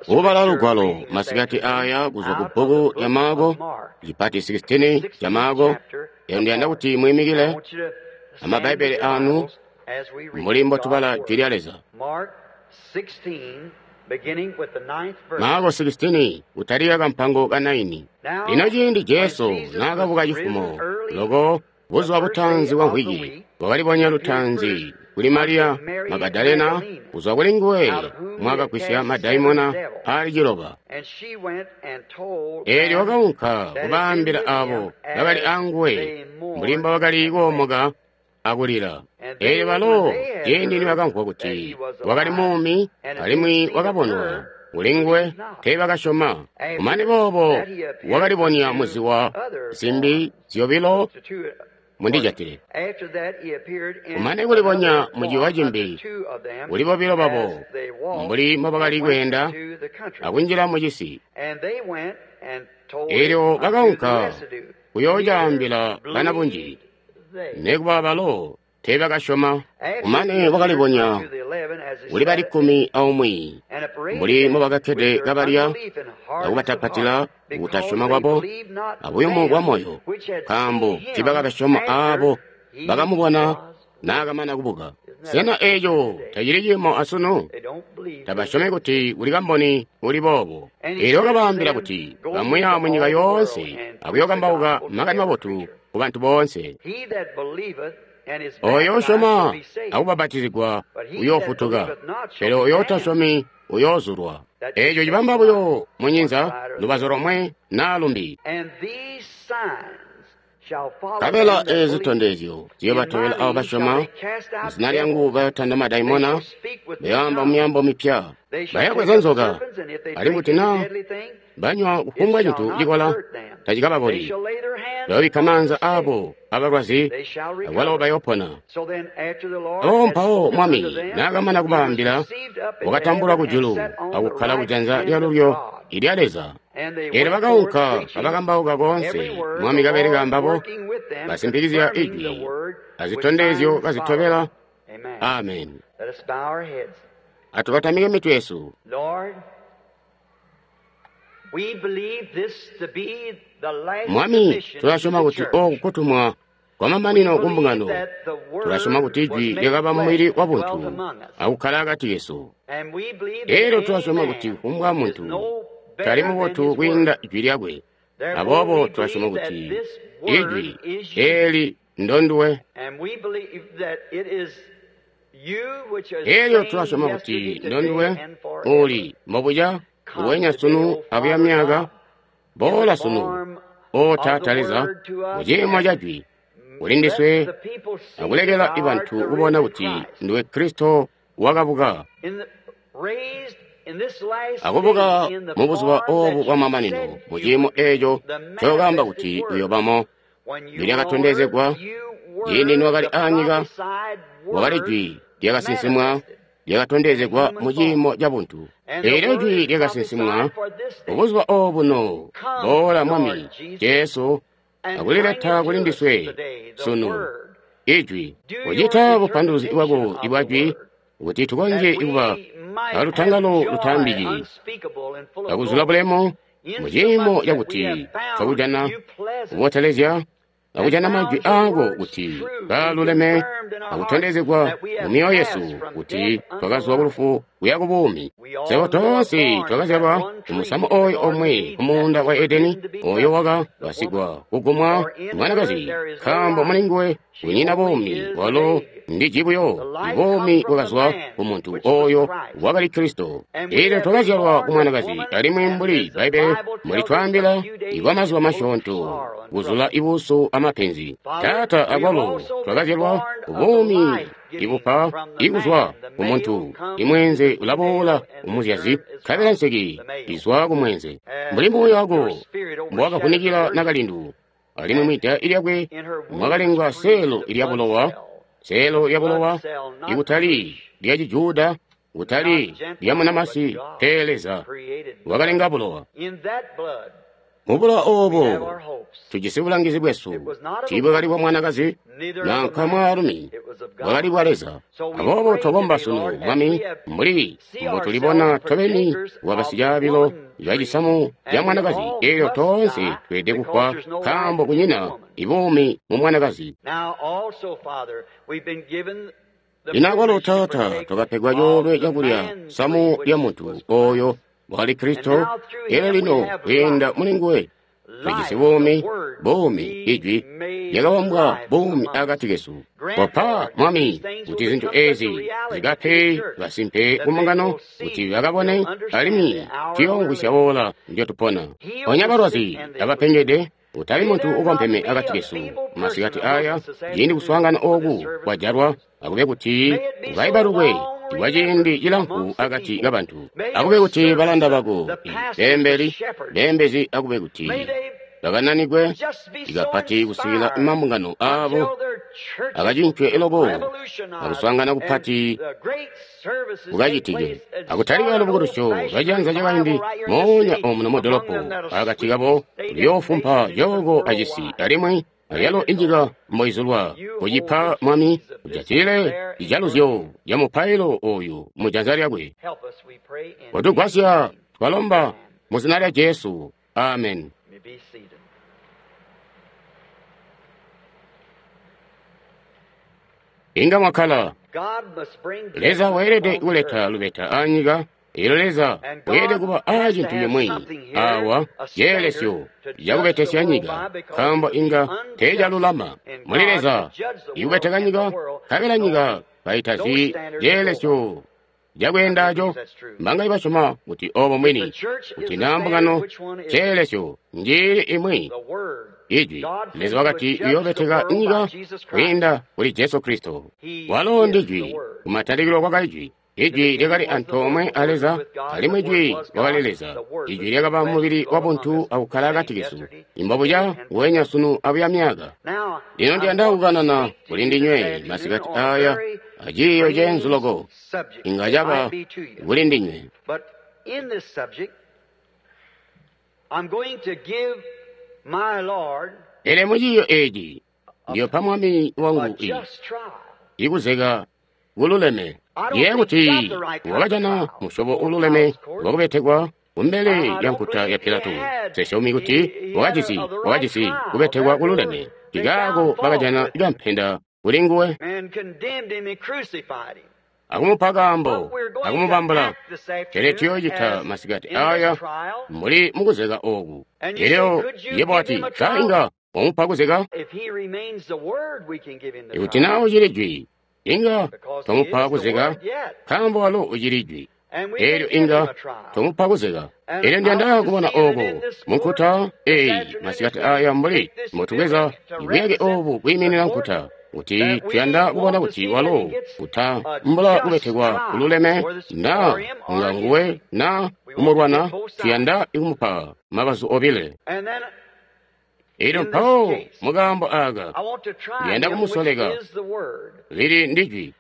Ubala lugwalo masikati aya kuzwa ku bbuku lya Maako, cipati 16 ca Maako. Lino ndiyanda kuti mwiimikile amabbaibbele anu mbuli mbotubala Jwi lya Leza. Maako 16 kutalika kampango ka 9. Lino ciindi Jesu naakabuka cifumo loko buzuba butaanzi bwa mvwiki, wakalibonya lutaanzi kuli Mariya Magadalena, kuzwa kuli nguwe mwakagwisya madaimona aali ciloba. Eelyo wakaunka kubaambila aabo bakali aanguwe mbuli mbobakali koomoka akulila. Eelyo balo ciindi nibakamvwa kuti wakali muumi alimwi wakabonwa kuli nguwe, teebakasyoma. Kumane boobo wakalibonya muziwa zimbi zyobilo mundijatile. Kumane kulibonya muciwa cimbi kuli bobilo babo mbuli mbobakali kweenda akunjila mucisi. Eelyo bakaunka kuyoocaambila banabunji, nikuba balo teebakasyoma. Kumane wakalibonya kuli bali 11 mbuli mbobakakkede kabalya akubatapatila kutasyoma kwabo abuyumu bwa moyo, nkaambo tiibakabasyoma aabo bakamubona naakamana kubuka. Sena eeco tacili ciimo asunu? Tabasyomi kuti kuli kamboni uli boobo. Eelyo wakabaambila kuti kamuya munyika yoonse akuyookambauka makani mabotu kubantu boonse. Ooyo usyoma akubapatizigwa uyoofutuka, pele ooyo utasyomi uyoozulwa. Eeco cibamba buyo munyinza lubazu lomwe naa lumbi. Nkabela eezi zitondezyo ziyoobatobela aabo basyoma. Muzina lyangu bayootanda madaimona, bayoamba mumyaambo mipya, bayabweza nzoka, alimwi kuti naa banywa kufumbwa cintu cikola tacikababoli. Bayoobikka maanza aabo abalwazi, akwalo bayoopona. Aboobo mpawo Mwami naakamana kubaambila, wakatambulwa kujulu akukkala kujanza lyalulyo ilya Leza. Eelyo bakaunka kabakambauka koonse, Mwami kabeleka ambabo, basimpikizya ijwi azitondezyo kazitobela. Ameni. Atubatamike mitwe yesu. Mwami, tulasyoma kuti ooku kutumwa kwamamanino kumbungano. Tulasyoma kuti ijwi lyakaba mumubili wabuntu akukkala akati kesu. Eelyo tulasyoma kuti kufumbwa muntu tali mubotu kwiinda ijwi lyakwe. Aboobo tulasyoma kuti ijwi eeli ndonduwe. Eelyo tulasyoma kuti ndonduwe uuli mbobuca nguwenya sunu abuya myaka. Boola sunu, O Taata Leza, muciimo ca jwi kuli ndiswe akulekela bantu kubona kuti nduwe Kristo wakabuka akubuka mubuzuba oobu bwamamanino muciimo eeco ncookaamba kuti uyoobamo. Jwi lyakatondezegwa ciindi niwakali aanyika, wakali jwi lyakasinsimwa lyakatondezegwa muciimo cabuntu. Eelyo jwi lyakasinsimwa mubuzuba oobuno, boola Mwami Jesu akulileta kuli ndiswe sunu ijwi, kucita bupanduluzi bwako ibwa jwi kuti tukonzye kuba alutangalo lutaambiki akuzula bulemu muciimo cakuti twakujana kubotelezya akujana majwi aako kuti kaaluleme akutondezegwa mumyoyo yesu kuti twakazwa kulufu kuya kubuumi. Swebo toonse twakazyalwa kumusamu ooyo omwe kumuunda wa Edeni, ooyo waka kasigwa kugumwa mwanakazi, nkaambo mulinguwe kunyina buumi, walo ndiji buyo. Ibuumi bwakazwa kumuntu ooyo wakali Kristo. Eelyo twakazyalwa kumwanakazi, alimwi mbuli Bbaibbele mulitwaambila, ikwamazuba masyoonto kuzula ibuusu amapenzi. Taata, akwalo twakazyalwa kubuumi ibupa ikuzwa kumuntu. Imweenze ulaboola kumuzyazi, nkabela nseki izwa kumweenze. Mbuli muuya wako mbowakavunikila nakalindu, alimwi mwida lyakwe mwakalengwa seelo lya bulowa, seelo lya bulowa ikutali lya Cijuda, kutali lya munamasi, pele Leza wakalenga bulowa. Mubulowa oobo tujisi bulangizi bwesu. Tiibwakali bwa mwanakazi nanka mwaalumi, bwakali bwa Leza. Aboobo twakomba sunu, Mwami, mbuli mbotulibona tobeni kuba basicaabilo ca cisamu ca mwanakazi, eelyo toonse tweelede kufwa nkaambo kunyina ibuumi mu mwanakazi. Lino akwalo, Taata, twakapegwa coolwe cakulya samu lya muntu ooyo wakali Kristo, elyo lino kwiinda muli nguwe tujisi buumi, buumi, Ijwi lyakabambwa buumi akati kesu. Kopa, Mwami, kuti zintu ezi zikape kasimpe ku mbungano, kuti bakabone alimwi tuyoomvwisya oora ndyotupona. Ponya balwazi abapengede, utali muntu ukompeme akati kesu masikati aya, ciindi kuswaangana ooku kwajalwa, akube kuti ukaibalukwe kwa ciindi cilamfu akati kabantu. Akube kuti balanda bako, beembeli, beembezi, akube kuti bakananikwe ikapati kusikila mambungano aabo akacincwe eloko akuswaangana kupati kukacitike, akutalika lubukulusyo lwaciyanza cakaindi moonya omuno mudolopo akati kabo luyoofumpa cooko acisi alimwi alyalo inyika mboizulwa. Kucipa, Mwami, ujatile cijaluzyo ca mupailo oyu mu janza lyakwe. Kotugwasya, twalomba mu zina lya Jesu. Amen. Inga mwakkala. Leza weelede kuleta lubeta anyika. Elyo Leza weelede kuba aa cintu cimwi awa ceelesyo cakubetesya nyika, nkaambo inga teecalulama muli Leza ikubeteka nyika, nkabela nyika kaitazi ceelesyo cakweendaco. Mbanga ibasyoma kuti oobo mwini, kuti naa mbungano ceelesyo njiili imwi Ijwi. Leza wakati uyoobeteka nyika kwiinda kuli Jesu Kristo. Walo ndi Jwi. Kumatalikilo kwakali Jwi. Ijwi lyakali antoomwe a Leza, alimwi Jwi wakali Leza. Ijwi lyakaba mubili wabuntu akukkala akati kesu. Imbobuca nguwenya sunu abuya myaka. Lino ndiyanda kukanana kuli ndinywe masikati aya aciiyo ceenzu loko inga caba kuli ndinywe. Pele muciiyo eeci ndiyopa Mwami wangu ikuzeka kululeme. Ndiyeeya kuti wakajana musyobo ululeme wakubetekwa kumbele lya nkuta ya Pilato. Nsesyomi kuti wakajisi kubetekwa kululeme. Nkaako bakajana kampenda kuli nguwe akumupa kaambo akumubambula. Pele tuyoocita masikati aya mbuli mukuzeka ooku. Elyo yebo wati, sa inga wamupa kuzeka? Ikuti naa ucili Jwi, inga twamupa kuzeka, nkaambo walo ucili Jwi. Elyo inga twamupa kuzeka. Elyo ndiyanda kubona ooko munkuta eyi masikati aya mbuli mbotubweza ibuyake oobu kwiiminina nkuta, kuti tuyanda kubona kuti walo kutambula kubetekwa kululeme, naa nga nguwe naa kumulwana. Tuyanda kumupa mabazu obile. Elyo mpawo mukaambo aaka ndiyanda kumusoleka lili ndi Jwi.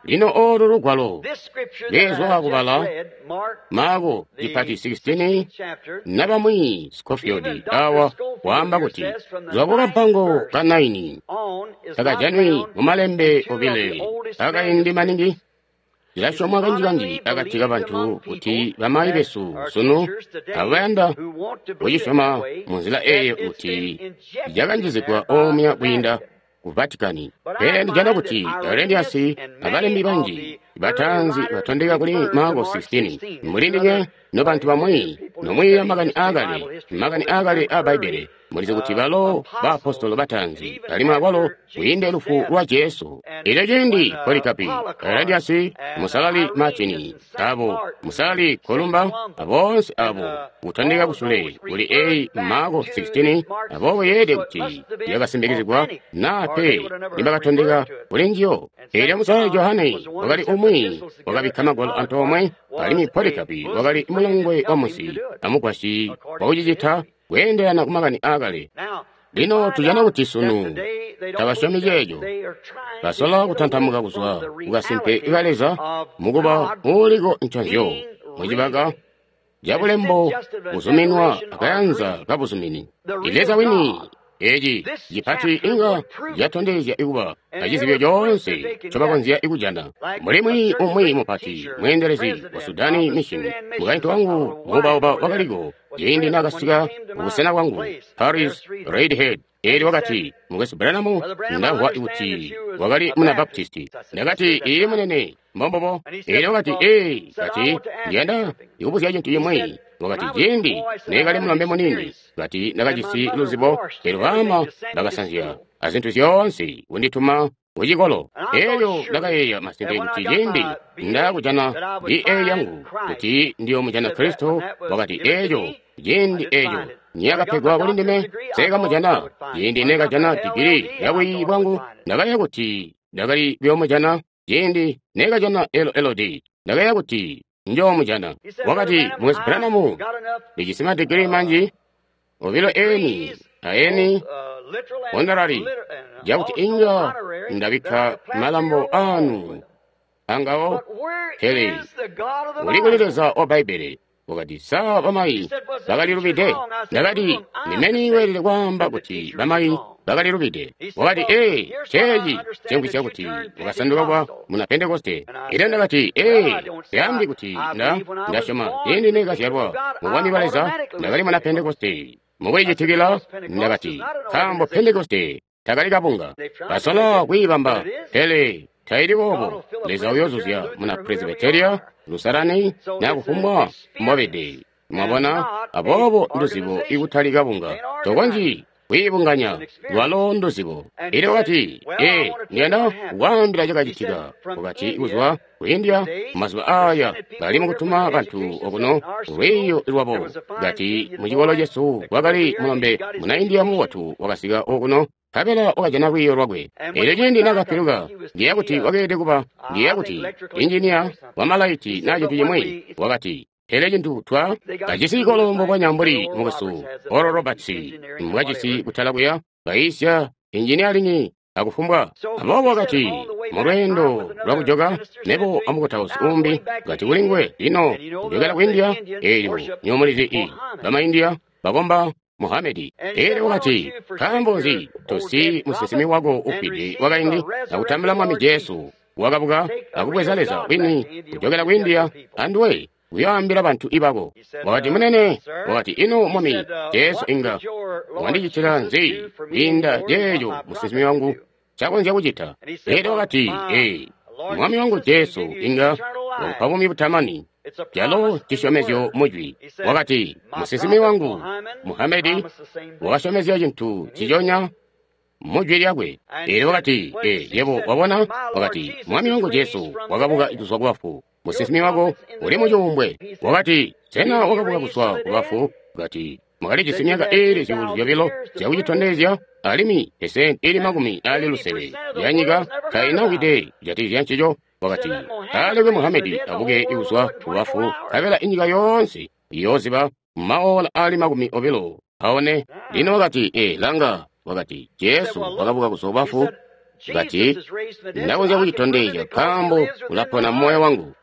Lino oolu lugwalo lezwa kubala Maako cipati 16 nabamwi Scofield awa waamba kuti zwa kukampango ka 9 takajanwi mumalembe obile akaindi maningi. Cilasyomwa kanji-kanji akati kabantu kuti bamayi besu sunu abayanda kucisyoma munzila eeyo kuti cakanjizigwa omuya kwiinda ku Vatikani. Pele ndijana kuti Aurelius abalembi banji bataanzi batondeka kuli Maako 16. Muli ndinywe nobantu bamwi nomwiiya makani aakale aa Bbaibbele, mulizi kuti balo baapostolo bataanzi alimwi akwalo kwiinde lufu lwa Jesu. Elyo ciindi Polikapi, Aurelius, musalali Martini, abo musalali Kolumba, aboonse abo kutondeka kusule kuli eyi Maako 16, aboobo yeelede kuti yakasimbikizigwa naa pe nibakatondeka kuli njiyo. Elyo musalali Johane wakali umwi wakabikka magwalo antoomwe, alimwi Polikapi wakali mulongwe wa musi amugwasyi wakucicita kweendelana kumakani aakale. Lino tujana kuti sunu tabasyomi ceeco. Basola kutantamuka kuzwa kukasimpe ka Leza mukuba uuliko nconzyo mucibaka cabulembo buzuminwa akayanza kabuzumini. Leza wini eci cipati inga catondezya ikuba acizibyo coonse ncobakonzya ikujana. Mulimwi umwi mupati mweendelezi wa Sudani Mission, mukaintu wangu muubauba wakaliko ciindi naakasika kubusena bwangu, Paris Redhead. Eelyo wakati, Mukwesu Branham, ndamvwa kuti wakali muna Baptisti. Ndakati, iye munene, mbombobo. Eelyo wakati, ee, kati, ndiyanda ndikubuzya cintu cimwi. Wakati, ciindi neekali mulombe muniini, kati ndakajisi luzibo, eelyo baama bakasanzya azintu zyoonse kundituma kucikolo. Eelyo ndakayeeya masimpe kuti ciindi ndakujana BA yangu kuti ndiyoomujana Kristo. Wakati, eeco ciindi eeco niyakapegwa kuli ndime seekamujana. Ciindi neekajana digiri ya bwiiyi bwangu, ndakayeeya kuti ndakali kuyoomujana. Ciindi neekajana LLD, ndakayeeya kuti njoomujana. Wakati, Mukwesu Branham, ndijisi madigiri manji, obilo eni aeni honorary, jakuti inga ndabikka malambo anu angawo. Pele uli kuli Leza wa Bbaibbele? Wakati, sa bamayi bakalilubide? Ndakati, ndimeni weelede kwaamba kuti bamayi bakalilubide. Wakati, ee, ceeci cimvwisya kuti wakasanduka kuba muna Pentekoste. Ine ndakati, ee, syaambi kuti ndasyoma ciindi neekazyalwa mu Bwami bwa Leza ndakali muna Pentekoste. Mukulicitikila ndakati, nkaambo Pentekoste takali kabunga. Basola kwiibamba, pele taili boobo. Leza uyoozuzya muna Presbyteria, Lusalani, na kufumbwa mbobede. Mwabona? Aboobo nduzibo ikutali kabunga. Tokonzyi kwiibunganya, lwalo nduzibo. Elyo wakati, ee, ndiyanda kukwaambila cakacitika. Wakati, kuzwa ku India, mazuba aya bali mukutuma bantu okuno lwiiyo lwabo. Kati mucikolo cesu kwakali mulombe muna India mubotu wakasika okuno, nkabela wakajana lwiiyo lwakwe. Elyo ciindi naakapiluka, ndiyeeya kuti wakeelede kuba, ndiyeeya kuti injiniya wamalaiti naa cintu cimwi. Wakati, pele cintu twa kajisi cikolo mbubonya mbuli mukwesu Oral Roberts mbwajisi kutala kuya, bayiisya injiniyalingi akufumbwa. Aboobo wakati, mulweendo lwakujoka, mebo amukutausi umbi, kati kuli nguwe, lino kujokela ku India, eelyo nyomulizi i bama India bakomba Muhamedi. Eelyo wakati, nkaambo nzi tosi musinsimi wako ufwide wakaindi akutambula Mwami Jesu wakabuka akubweza Leza wini kujokela ku India anduwe kuyoambila bantu ibako. Wakati, munene, wakati, ino Mwami Jesu inga wandicitila nzi kwiinda ceeco musinsimi wangu ncakonzya kucita? Eelyo wakati, ee, Mwami wangu Jesu inga wakupa buumi butamani, calo cisyomezyo mujwi. Wakati, musinsimi wangu Muhamedi wakasyomezya cintu ciconya mujwi lyakwe. Eelyo wakati, ee, yebo wabona? Wakati, Mwami wangu Jesu wakabuka kuzwa kubafu, musinsimi wako uli mucuumbwe. Wakati, sena wakabuka kuzwa kubafu? Kati, mwakalijisi myaka iili 2,000 zyakucitondezya, alimwi pesenti ili 70 yanyika tainawide kujatikizya ncico. Wakati, alekwe Muhamedi abuke kuzwa kubafu, nkabela inyika yoonse iyooziba maola aali 24. Lino wakati, ee, langa. Wakati, Jesu wakabuka kuzwa kubafu. Kati, ndakonzya kucitondezya nkaambo ulapona moyo wangu,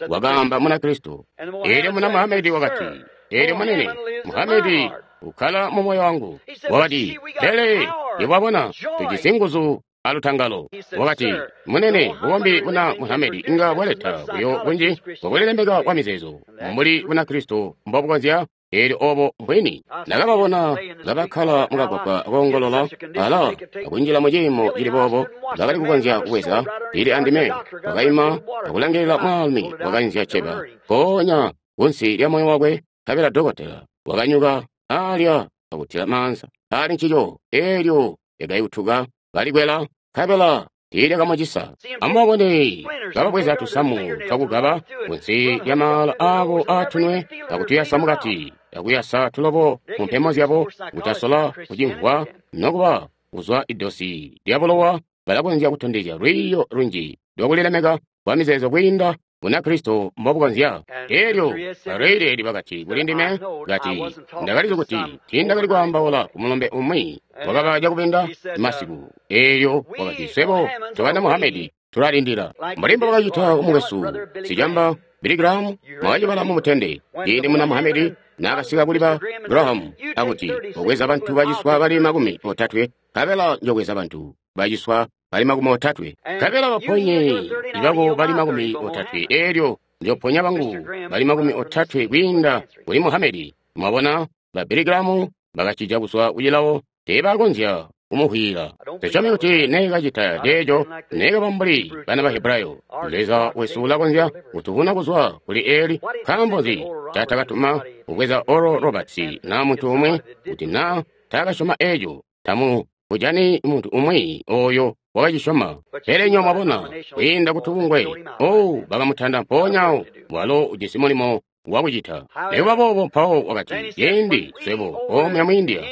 wakaamba muna Kristo. Eelyo muna Muhamedi wakati, eelyo munene, Muhamedi ukkala mu moyo wangu. Wakati, pele yebo tujisi nguzu alutangalo. Wakati, munene, bukombi buna Muhamedi inga bwaleta buyo bunji bwakulilemeka kwa mizeezo mbuli buna Kristo mbobukonzya. Eelyo obo mbwini. Ndakababona kabakkala mukagwagwa koongolola ala akunjila mu ciimo cili boobo, bakali kukonzya kubweza lili andime. Wakaima akulangilila mwaalumi wakainzya cceba mpoonya kunsi lya moyo wakwe, nkabela dokotela wakanyuka alya akutila maanza ali ncico. Eelyo lyakayutuka kalikwela, nkabela tiilyakamucisa. Amubabone kababweza tusamu twakugaba kunsi lya maala aabo aatunwe akutuyasa mukati, akuyasa tulobo mu mpemo zyabo, kutasola kucimvwa nokuba kuzwa idosi lya bulowa. Balakonzya kutondezya lwiiyo lunji lwakulilemeka kwa mizeezo kwiinda Bunakristo mbobukonzya. Eelyo Bareiledi bakati kuli ndime, kati ndakalizi kuti tiindakali kwaambaula ku mulombe umwi wakaba cakubinda masiku. Eelyo wakati, swebo tobana Muhamedi tulalindila mbuli mbobakacita kumukwesu sicamba Billy Graham mwakacibala mu mutende ciindi muna Muhammad naakasika kuli ba Graham akuti obweza bantu baciswa bali 30 nkabela njobweza bantu baciswa bali 30 nkabela baponye ibako bali 30 eelyo njoponya bangu bali 30 kwiinda kuli Muhammad. Mwabona ba Billy Graham bakacija kuzwa kucilawo teebakonzya kumuhwila. Tusyomi kuti neekacita ceeco neekaba mbuli bana ba Hebrayo. Leza wesu ulakonzya kutuvuna kuzwa kuli Eli. Nkaambo nzi caatakatuma kubweza Oral Roberts naa muntu umwi kuti naa taakasyoma eeco tamu kujani muntu umwi oyo wakacisyoma. Pele nyo mwabona kwiinda kutubungwe oh bakamutanda mpoonya walo ujisi mulimo wakucita. Nekuba boobo mpawo wakati ciindi swebo omuya mu India.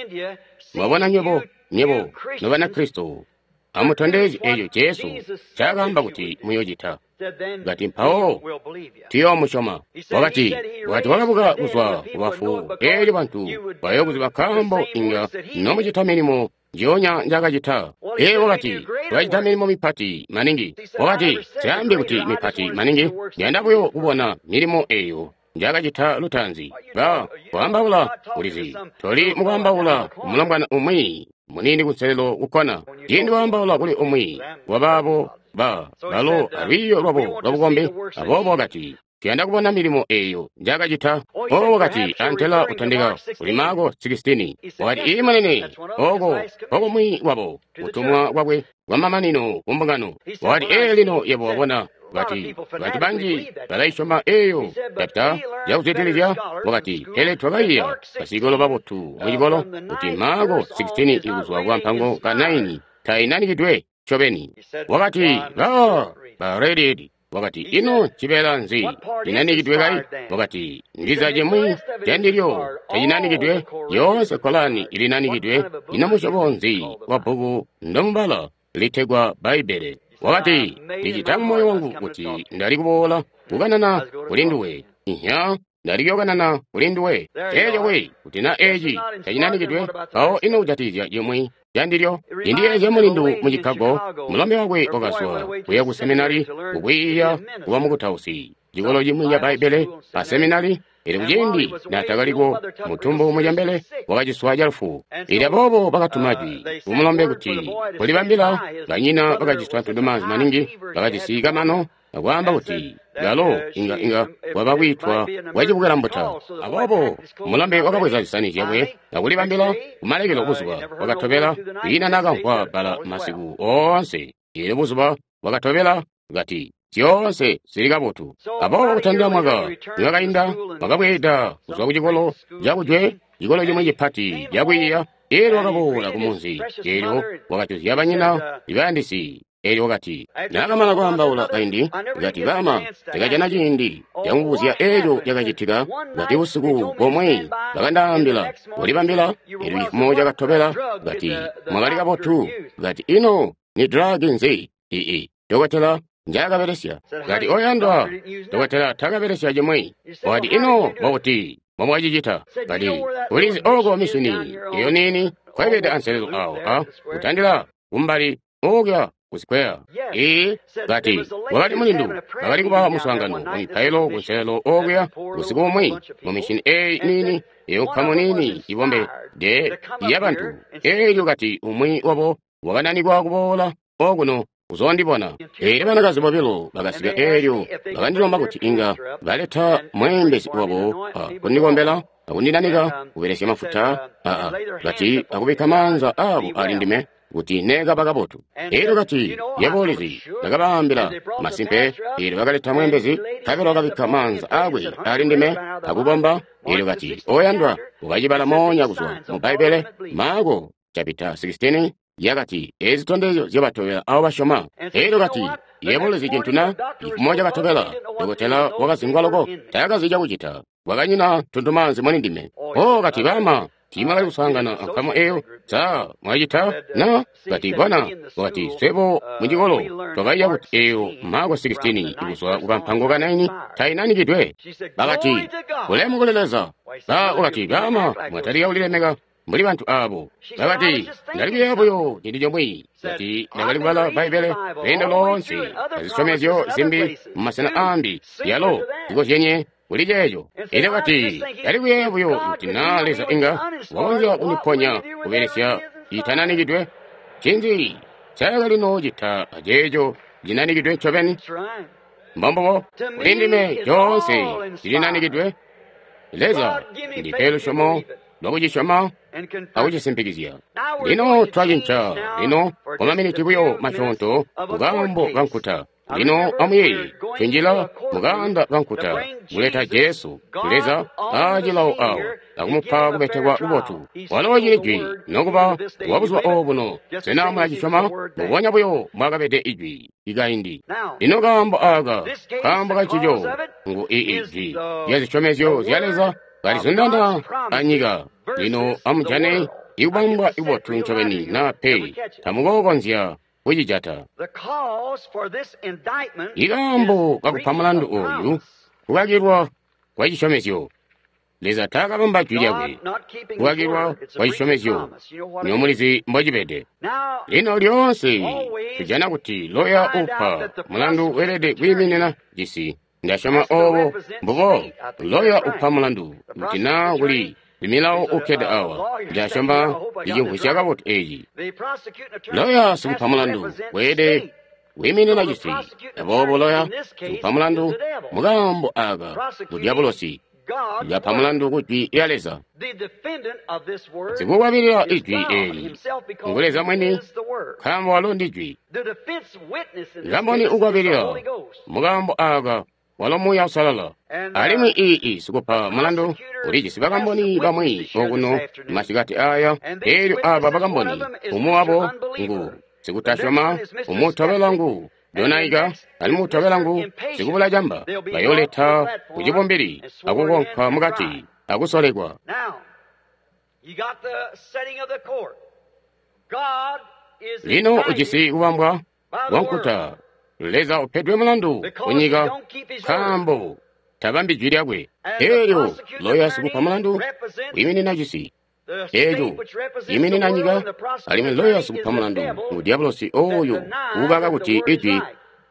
Mwabona nywebo Nobanakristo amutondezye eeco Jesu ncaakaamba kuti muyocita. Kati mpawo tuyoomusyoma. Wakati wakabuka kuzwa kubafu eelyo bantu bayookuziba nkaambo inga nomucita milimo njionya njaakacita. Ee wakati twacita milimo mipati maningi. Wakati syaambi kuti mipati maningi, ndiyanda buyo kubona milimo eeyo njaakacita lutaanzi. Ba kwaambaula ulizi toli mukwaambaula mulombwana umwi muniini kunselelo kukkona. Ciindi waambaula kuli umwi wabaabo ba balo alwiiyo lwabo lwabukombi, aboobo wakati tuyanda kubona milimo eeyo njaakacita. Oo wakati antela utandika kuli Maako 16. Wakati ii munene oko nkokumwi wabo kutumwa kwakwe kwamamanino kumbungano. Wakati ee lino yebo wabona. Wakati bantu banji balaisyoma eeyo chapita yakuzwidilizya. Wakati pele twakaiya basikolo babotu mucikolo kuti Maako 16 ikuzwa kwa mpango ka 9 tainanikidwe ncobeni. Wakati ba Redied. Wakati ino cibeela nzi cinanikidwe kai? Wakati ndiza cimwi candilyo tacinanikidwe, yoonse Kolani ilinanikidwe. Ino musyobo nzi wa bbuku ndomubala litegwa Bbaibbele? Wakati ndicita mumoyo wangu kuti ndali kuboola kukanana kuli nduwe. Inya ndali kuyokanana kuli nduwe. Eeco we kuti na eeci tacinanikidwe, mpawo ino kujatikizya cimwi candilyo? Indiyeezya mulindu mu Chicago, mulombe wakwe wakazwa kuya ku seminari kukwiiya kuba mukutausi cikolo cimwi ca Bbaibbele a seminari. Elyo kuciindi naatakaliko mutumbu mucembele wakaciswa calufu. Elyo aboobo bakatuma jwi kumulombe kuti kulibambila. Banyina bakaciswa ntundumaanzi maningi, bakajisi kamano akwaamba kuti balo inga waba kwiitwa kwacibukila mbuta. Aboobo mulombe wakabweza zisani zyakwe akulibambila kumalekelo. Buzuba bwakatobela kwiina naakamvwa bbala masiku oonse. Elyo buzuba bwakatobela kati zyoonse zili kabotu. Aboobo kutandila mwaka niwakainda wakabweeda kuzwa kucikolo cakujwe, cikolo cimwi cipati cakwiiya. Elyo wakaboola kumunzi, elyo wakajuzya banyina ibayandisi. Elyo wakati naakamana kwaambaula kaindi, kati bama ndakajana ciindi cakubuzya eeco cakacitika. Kati busiku bomwe bakandaambila kulibambila. Elyo cifumo cakatobela kati mwakali kabotu. Kati ino ni dragi nzi ii dokotela njaakabelesya? Kati oyandwa dokotela takabelesya cimwi. Wakati ino mbokuti mbomwacicita? Kati ulizi oko mishini iyo niini kwaibede anselelo awo a kutandila kumbali okuya kusikweya. Ee kati wakali mulindu bakali kuba muswaangano wamipailo kunselelo okuya busiku bumwi mu mishini eyi niini eyo nkamu niini ibombe de yabantu. Elyo kati umwi wabo wakananikwa kuboola okuno uzondibona. Eelyo banakazi bobilo bakasika, eelyo bakandilomba kuti inga baleta mweembezi wabo akundikombela akundinanika kubelesya mafuta aa kati akubikka maanza abo ali ndime kuti neekaba kabotu. Eelyo kati yebo ulizi, ndakabaambila masimpe. Eelyo bakaleta mweembezi, nkabela wakabikka maanza aakwe ali ndime akubomba. Eelyo kati oyandwa ukacibala moonya kuzwa mu Bbaibbele Maako chapita 16 yakati ezi zitondezyo zyabatobela abo basyoma. Eelyo kati yebo ulizi cintu na? Cifumo cakatobela dokotela wakazingwa loko, taakazi cakucita, wakanyina ntundumaanzi muli ndime. O kati bama tiimwakali kuswaangana ankamu eyo, sa mwacita na? Kati bona, wakati swebo mucikolo twakaiya kuti eyo Maako 16 ikuzwa kukampango ka 9 tainanikidwe. Bakati ulemu kuli Leza. Ba wakati bama mwatalika kulilemeka mbuli bantu abo. Bakati, Ndali kuyeeya buyo cintu comwe, kuti ndakali kubala Bbaibbele lweendo loonse azisyomezyo zimbi mu masena aambi, yalo zikozyenye kuli ceeco. Elyo kati, Ndali kuyeeya buyo kuti naa Leza inga wakonzya kundiponya kubelesya citananikidwe. Ncinzi ncaakali noocita aceeco cinanikidwe ncobeni? Mbombubo, kuli ndime coonse cilinanikidwe. Leza ndipe lusyomo lwakucisyoma akucisimpikizya. Lino twacinca lino kwa maminiti buyo masyoonto mukaambo kankuta. Lino amuyeeye, tunjila mukaanda kankuta kuleta Jesu, Leza aacilawo awo, akumupa kubetekwa kubotu. Walo cili Jwi, nokuba wa buzuba obuno. Sena mulacisyoma? Mbubonya buyo mbwaakabede Ijwi ikaindi. Lino kaambo aaka, kaambo kancico, ngu Ijwi lya zisyomezyo zya Leza kalizundana anyika. Lino amujane ikubambwa kubotu ncobeni naa pe, tamukookonzya kucijata. Ikaambo kakupa mulandu ooyu kukakilwa kwa cisyomezyo. Leza taakabamba jwi lyakwe. Kukakilwa kwa cisyomezyo, nyo mulizi mbocibede. Lino lyoonse tujana kuti loya upa mulandu weelede kwiiminina cisi. Ndasyoma oobo mbubo loya upa mulandu kuti naa kuli milawo ukkede awa. Ndasyoma ndicimvwisya kabotu eeci. Loya sikupa mulandu weelede kwiiminina cisi. Aboobo loya sikupa mulandu mukaambo aaka ngu dyabulosi. Lapa mulandu ku jwi lya Leza. Sikukwabilila ijwi eeli ngu Leza mwini, nkaambo walo ndi jwi. Kamboni ukwabilila mukaambo aaka walo Muuya Uusalala. Alimwi ii sikupa mulandu ulijisi bakamboni bamwi okuno masikati aya. Eelyo aba bakamboni, umwi wabo ngu sikutasyoma, umutobela ngu donaika, alimwi utobela ngu sikubula camba. Bayoleta kucibumbili akukonka mukati akusolekwa. Lino ujisi kubambwa kwa nkuta. Leza upedwe mulandu kunyika nkaambo tabambi jwi lyakwe. Eelyo loya sikupa mulandu wiiminina cisi eeco yiiminina nyika, alimwi loya sikupa mulandu ngu dyabulosi ooyo uukaka kuti ijwi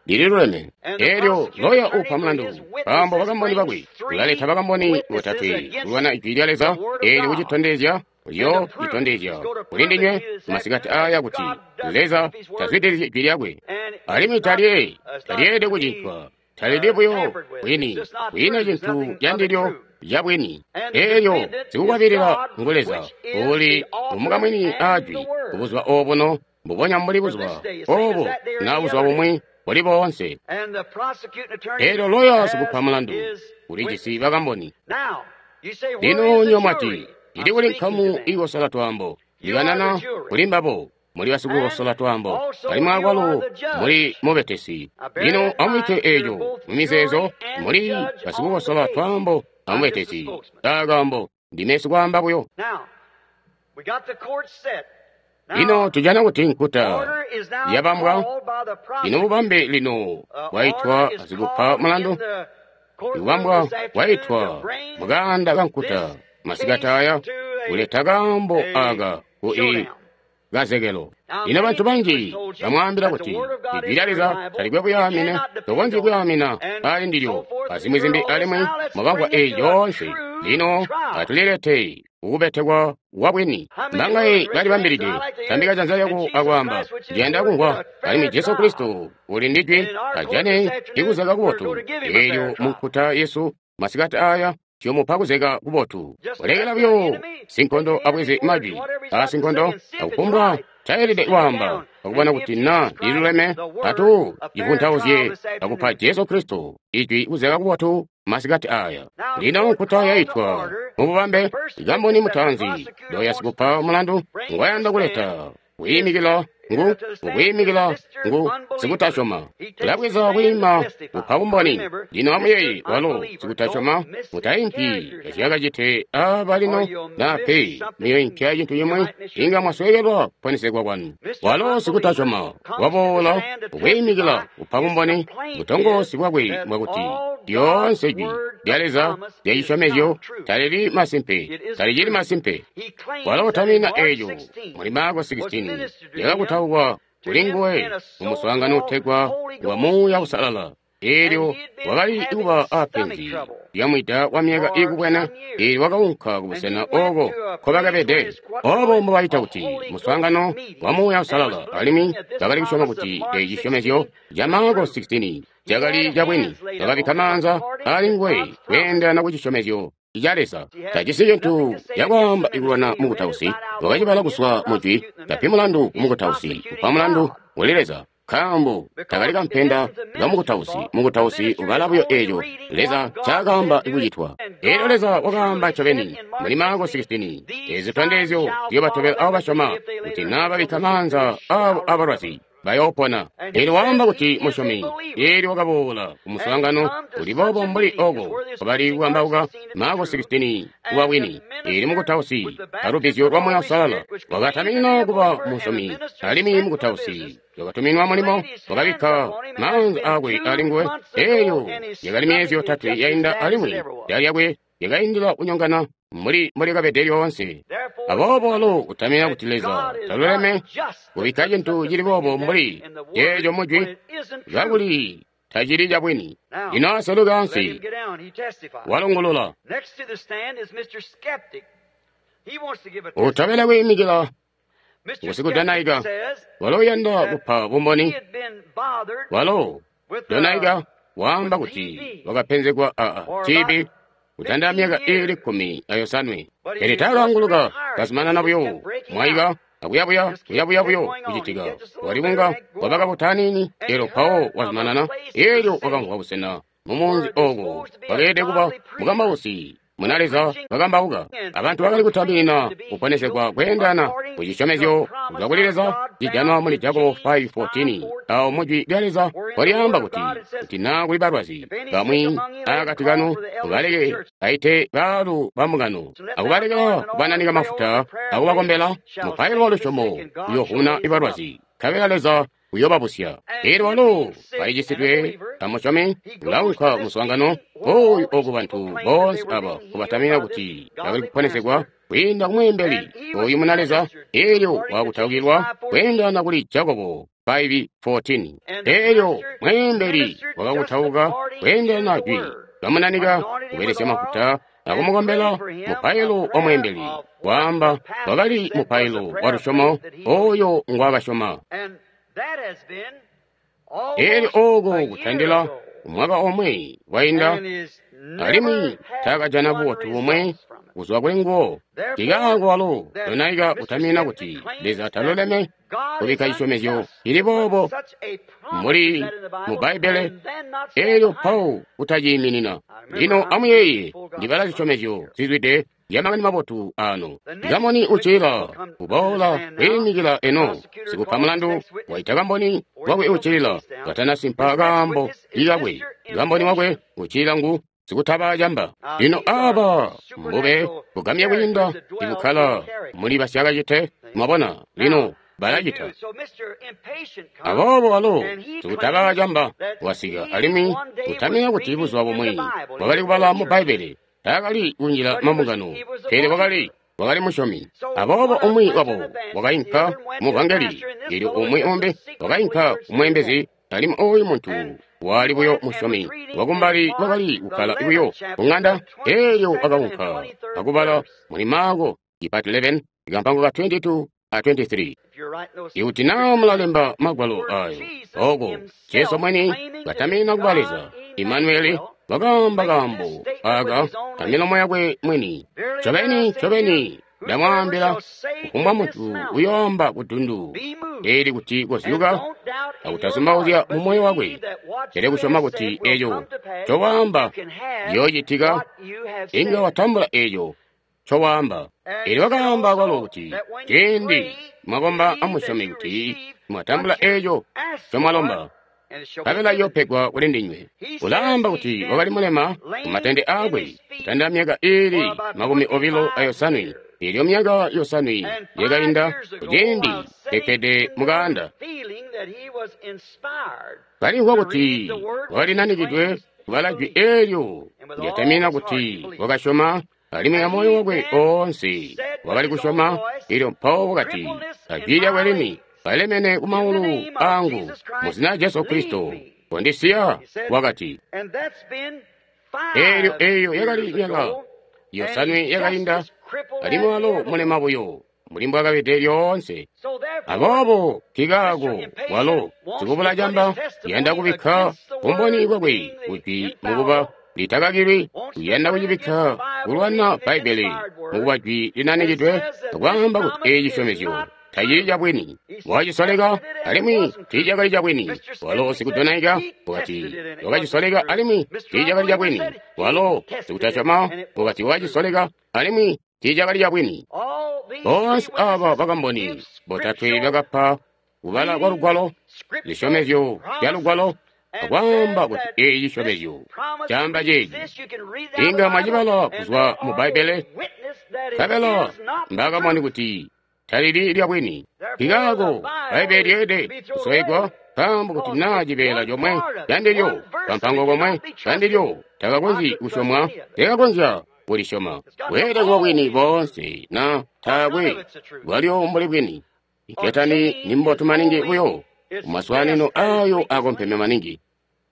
lililuleme. Eelyo loya upa mulandu nkaambo bakamboni bakwe ulaleta bakamboni botatwe kulwana ijwi lya Leza, eelyo kucitondezya uyo citondezya kuli ndinywe masikati aya kuti Leza tazwidilizyi ijwi lyakwe, alimwi talyeelede kucincwa, talili buyo bwini, kwiina cintu candilyo cabwini. Eelyo sikukwabilila ngu Leza uli umukamwini aajwi kubuzuba obuno, mbubonya mbuli buzuba obu na buzuba bumwi buli boonse. Eelyo loya sikupa mulandu ulijisi bakamboni. Lino nywe mwati, ili kuli nkamu ikosola twaambo. Likanana kuli mbabo, muli basikukosola twaambo, alimwi akwalo muli mubetesi. Lino amubikke eeco mumizeezo, muli basikukosola twaambo amubetesi. Akaambo ndime sikwaamba buyo. Lino tujana kuti nkuta yabambwa. Lino bubambe lino bwaitwa asikupa mulandu. Ikubambwa kwaitwa mukaanda kankuta masikati aya kuleta kaambo aka ku kazekelo. Lino bantu banji bamwaambila kuti ijwi lya Leza talikwe kuyaamina, tokonzyi kuyaamina ali ndilyo, azimwi zimbi, alimwi mwakamvwa eyi yoonse. Lino atulilete kukubetekwa kwa bwini. Mbangaye balibambilide tambika janza lyako akwaamba, ndiyanda kumvwa, alimwi Jesu Kristo uli ndi jwi, ajane ikuzeka kubotu. Eelyo munkuta yesu masikati aya tuyomupa kuzeka kubotu. Kulekela buyo sinkondo abweze majwi aasinkondo akufumbwa tayelede kwaamba akubona kuti na liluleme, atu ivuntauzye akupa Jesu Kristo ijwi kuzeka kubotu masikati aya. Lino nkuta yaitwa mububambe. Kamboni mutaanzi loya sikupa mulandu ngwayanda kuleta kwiimikila Ngu kwiimikila ngu sikutasyoma. Ulabweza kwiima kupa bumboni. Lino amuyeeye, walo sikutasyoma, mutaimpi zyakacite aba lino na pe muyoimpya cintu cimwi, inga mwasweekelwa kuponesegwa kwanu. Walo sikutasyoma waboola kwiimikila kupa bumboni. Butongoosi bwakwe bwakuti lyoonse jwi lya Leza lya cisyomezyo talili masimpe, talicili masimpe. Walo utamina eeco muli Maako 16 lyakakutaukwa kuli nguwe mu muswaangano utegwa wa Muuya Uusalala. Eelyo wakali kuba apenzi lyamwida wa myaka iikubwene, eelyo wakaunka kubusena ooko nkobakabede. Oobo mbobaita kuti muswaangano wa Muuya Uusalala, alimwi bakali kusyoma kuti eeci cisyomezyo ca Maako 16 cakali cabwini. Bakabikka maanza ali nguwe kweendelana ku cisyomezyo ca Leza. Tajisi cintu cakwaamba ikulwana mukutausi. Wakacibala kuzwa mujwi, tapi mulandu kumukutausi, upa mulandu kuli Leza. Nkaambo takali kampenda kamukutausi, mukutausi ubala buyo eeco Leza ncaakaamba kucitwa. Eelyo Leza wakaamba ncobeni muli Maako 16, eezi zitondezyo ziyoobatobela abo basyoma, kuti naa babikka maanza aabo abalwazi bayoopona. Eelyo waamba kuti musyomi, eelyo wakaboola ku muswaangano uli boobo mbuli ooko kwabali kukambauka Maako 16 kuba bwini. Eelyo mukutausi alubbizyo lwa Muuya Uusalala wakataminina kuba musyomi, alimwi mukutausi wakatuminwa mulimo, wakabikka maanza aakwe ali nguwe. Eelyo yakali myezi yotatwe yainda, alimwi da lyakwe lyakaindila kunyongana mbuli mbolyakabede lyoonse. Aboobo walo utamina kuti Leza taluleme kubikka cintu cili boobo mbuli ceeco mujwi, kakuli tacili cabwini. Lino aseluka ansi, walungulula. Utobela kwiimikila ngusikudanaika, walo uyanda kupa bumboni. Walo donaika waamba kuti wakapenzegwa a TB kutanda myaka iili 17. Pele taakaanguluka, kazumanana buyo mwaika akuyabuya kuyabuya buyo kucitika. Wakali kunga wabaka butanini, eelyo mpawo wazumanana. Eelyo wakamvwa busena mumunzi ooko wakeelede kuba mukambausi muna Leza bakambauka. Abantu bakali kutaminina kuponesegwa kweendana ku cisyomezyo kuzwa kuli Leza cijanwa muli Jakobo 5:14. Awo mujwi lya Leza walyaamba kuti, kuti naa kuli balwazi bamwi akati kanu, mubaleke aite baalu bambungano, akubalekela kubananika mafuta akubakombela. Mupailo wa lusyomo uyoovuna balwazi, nkabela Leza uyobabusya. Eelyo walo walicisidwe amusyomi, ulaunka muswaangano oyu oku bantu boonse aba kubatamina kuti bakali kuponesegwa kwiinda kumweembeli oyu muna Leza. Eelyo wakutaukilwa kweendelana kuli Jakobo 5:14. Eelyo mweembeli wakakutauka kweendelana jwi, bamunanika kubelesya mafuta akumukombela. Mupailo wa mweembeli waamba wakali mupailo wa lusyomo oyo ngwaakasyoma. Eelyo ooko kutandila mwaka omwe wainda, alimwi taakajana bubotu bomwe kuzwa kuli nguwo. Nkaako walo donaika utamina kuti Leza taluleme kubikka cisyomezyo cili boobo mbuli mu Bbaibbele, eelyo mpawo kutaciiminina. Lino amuyeeye, ndibala zisyomezyo zizwide zya Makani Mabotu aano. Kamboni uccilila uboola kwiimikila eno. Sikupa mulandu waita kamboni wakwe uccilila katanasimpa kaambo ikakwe. Kamboni wakwe uccilila ngu sikutaba camba. Lino aba mbube bugamya kwiinda ibukkala muli basyakacite. Mwabona, lino balacita. Aboobo walo sikutaba camba wasika, alimwi utamina kuti buzuba bumwi wakali kubala mu Bbaibbele. Taakali kunjila mambungano, pele wakali musyomi. Aboobo umwi wabo wakainka muvangeli, eelyo umwi umbi wakainka kumweembezi, alimwi oyu muntu wali buyo musyomi wakumbali wakali kukkala buyo kuŋanda. Eelyo wakaunka akubala muli Maako chapter 11 kampango ka 22 a 23. Ikuti naa mulalemba magwalo ayo, ooko Jesu mwini katamina kuba Leza Imanueli wakaamba kaambo aka amilomo yakwe mwini. Ncobeni, ncobeni ndamwaambila, kufumbwa muntu uyoamba kudundu eli kuti kozyuka akutazumbauzya mumoyo wakwe, pele kusyoma kuti eco ncowaamba ciyoocitika, inga watambula eco ncowaamba. Elyo wakaamba kwalo kuti ciindi mwakomba amusyome kuti mwatambula eeco ncomwalomba, nkabela iyopegwa kuli ndinywe. Ulaamba kuti wakali mulema kumatende aakwe kutandila myaka iili 25. Elyo myaka 7 yakainda kuciindi kekkede mukaanda, kalimvwa kuti wakali nanikidwe kubala jwi eelyo lyatamina kuti wakasyoma, alimwi amoyo wakwe oonse wakali kusyoma. Elyo mpawo wakati ajwi lyakwe lini, kalemene kumaulu aangu, mu zina lya Jesu Kristo, kondisiya. Wakati eelyo eyo yakali myaka 7 yakainda, alimwi walo mulema buyo mbuli mbwakabede lyoonse. Aboobo nkikaako walo sikubula camba uyanda kubikka bumboni bwakwe kujwi mukuba litakakilwi, uyanda kucibikka kulwana Bbaibbele mukuba jwi linanikidwe, akwaamba kuti eeci cisyomezyo tacili cabwini. Wacisoleka alimwi tiicakali cabwini. Walo sikudonaika wakati wakacisoleka alimwi tiicakali cabwini. Walo sikutasyoma wakati wakacisoleka alimwi tiicakali cabwini. Boonse aaba bakamboni botatwe bakapa kubala kwa Lugwalo, zisyomezyo zya Lugwalo, akwaamba kuti eeci cisyomezyo caamba ceeci. Inga mwacibala kuzwa mu Bbaibbele, nkabela mbakamboni kuti talili lyabwini. Nkikaako Bbaibbele lyeelede kusowegwa, nkaambo kuti naa cibeela comwe candilyo, kampango komwe kandilyo takakonzyi kusyomwa, tekakonzya kulisyoma. Weelede kuba bwini boonse na taakwe bwalyo mbuli bwini. Iketani ni mbotu maningi buyo kumaswaanino ayo akompeme maningi.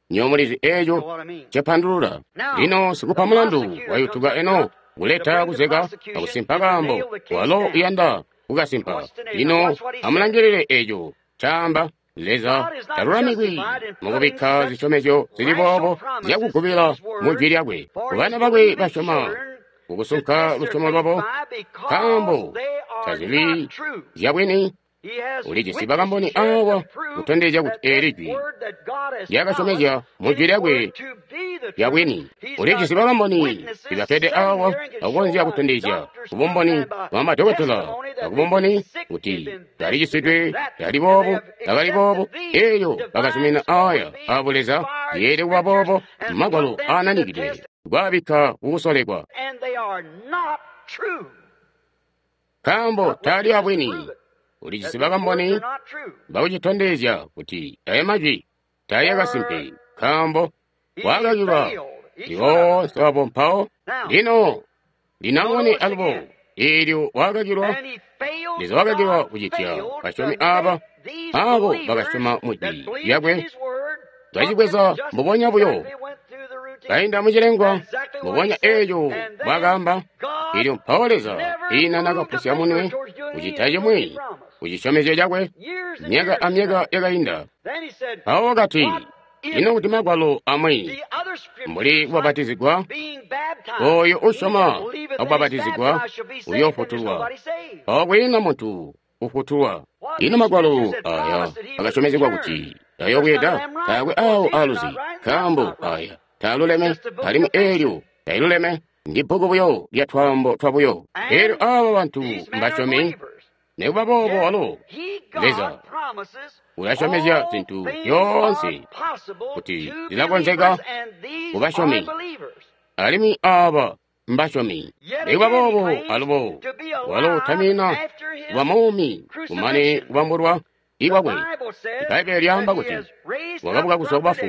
Nyo mulizi eeco cepandulula. Lino sikupa mulandu wayutuka eno kuleta kuzeka akusimpa kaambo walo uyanda kukasimpa. Lino amulangilile eeco caamba. Leza talulamikwi mukubikka zisyomezyo zili boobo zyakugubila mu jwi lyakwe kubana bakwe basyoma kukusunka lusyomo lwabo, nkaambo tazili zyabwini. Ulijisi bakamboni awa kutondezya kuti eeli jwi lyakasyomezya mu jwi lyakwe lyabwini. Ulijisi bakamboni ibapede awa akukonzya kutondezya kubumboni bwa madokotela akubumboni kuti talicisidwe, tali boobu, takali boobu. Eelyo bakazumina aya abuleza yeelede kuba boobo, magwalo aananikidwe kwaabikka kukusolekwa, nkaambo taali abwini. Ulijisi bakamboni bakucitondezya kuti aya majwi taali akasimpe, nkaambo wakakilwa lyoonse wabo mpawo. Lino linamone alubo eelyo wakakilwa, Leza wakakilwa kucitya basyomi aaba, aabo bakasyoma mu jwi lyakwe, bacibweza mbubonya buyo, kainda mucilengwa mbubonya eeco bwakaamba. Elyo mpawo Leza ina nakapusya munwe kucita cimwi kucisyomezyo cakwe myaka amyaka yakainda. Mpawo wakati, ino kuti magwalo amwi mbuli kubapatizigwa, oyo usyoma akubapatizigwa uyoofutulwa, mpawo kwiina muntu ufutulwa. Ino magwalo aya akasyomezegwa kuti ayobweda taakwe awo aluzi, nkaambo aya taaluleme, alimwi eelyo tailuleme, ndi bbuku buyo lya twaambo twabuyo. Eelyo aaba bantu mbasyomi, nikuba boobo walo Leza ulasyomezya zintu zyoonse kuti zilakonzeka kubasyomi, alimwi aaba mbasyomi. Nikuba boobo alubo walo utamina kuba muumi kumane kubambulwa ikwakwe. Ibbaibbele lyaamba kuti wakabuka kuzwa kubafu,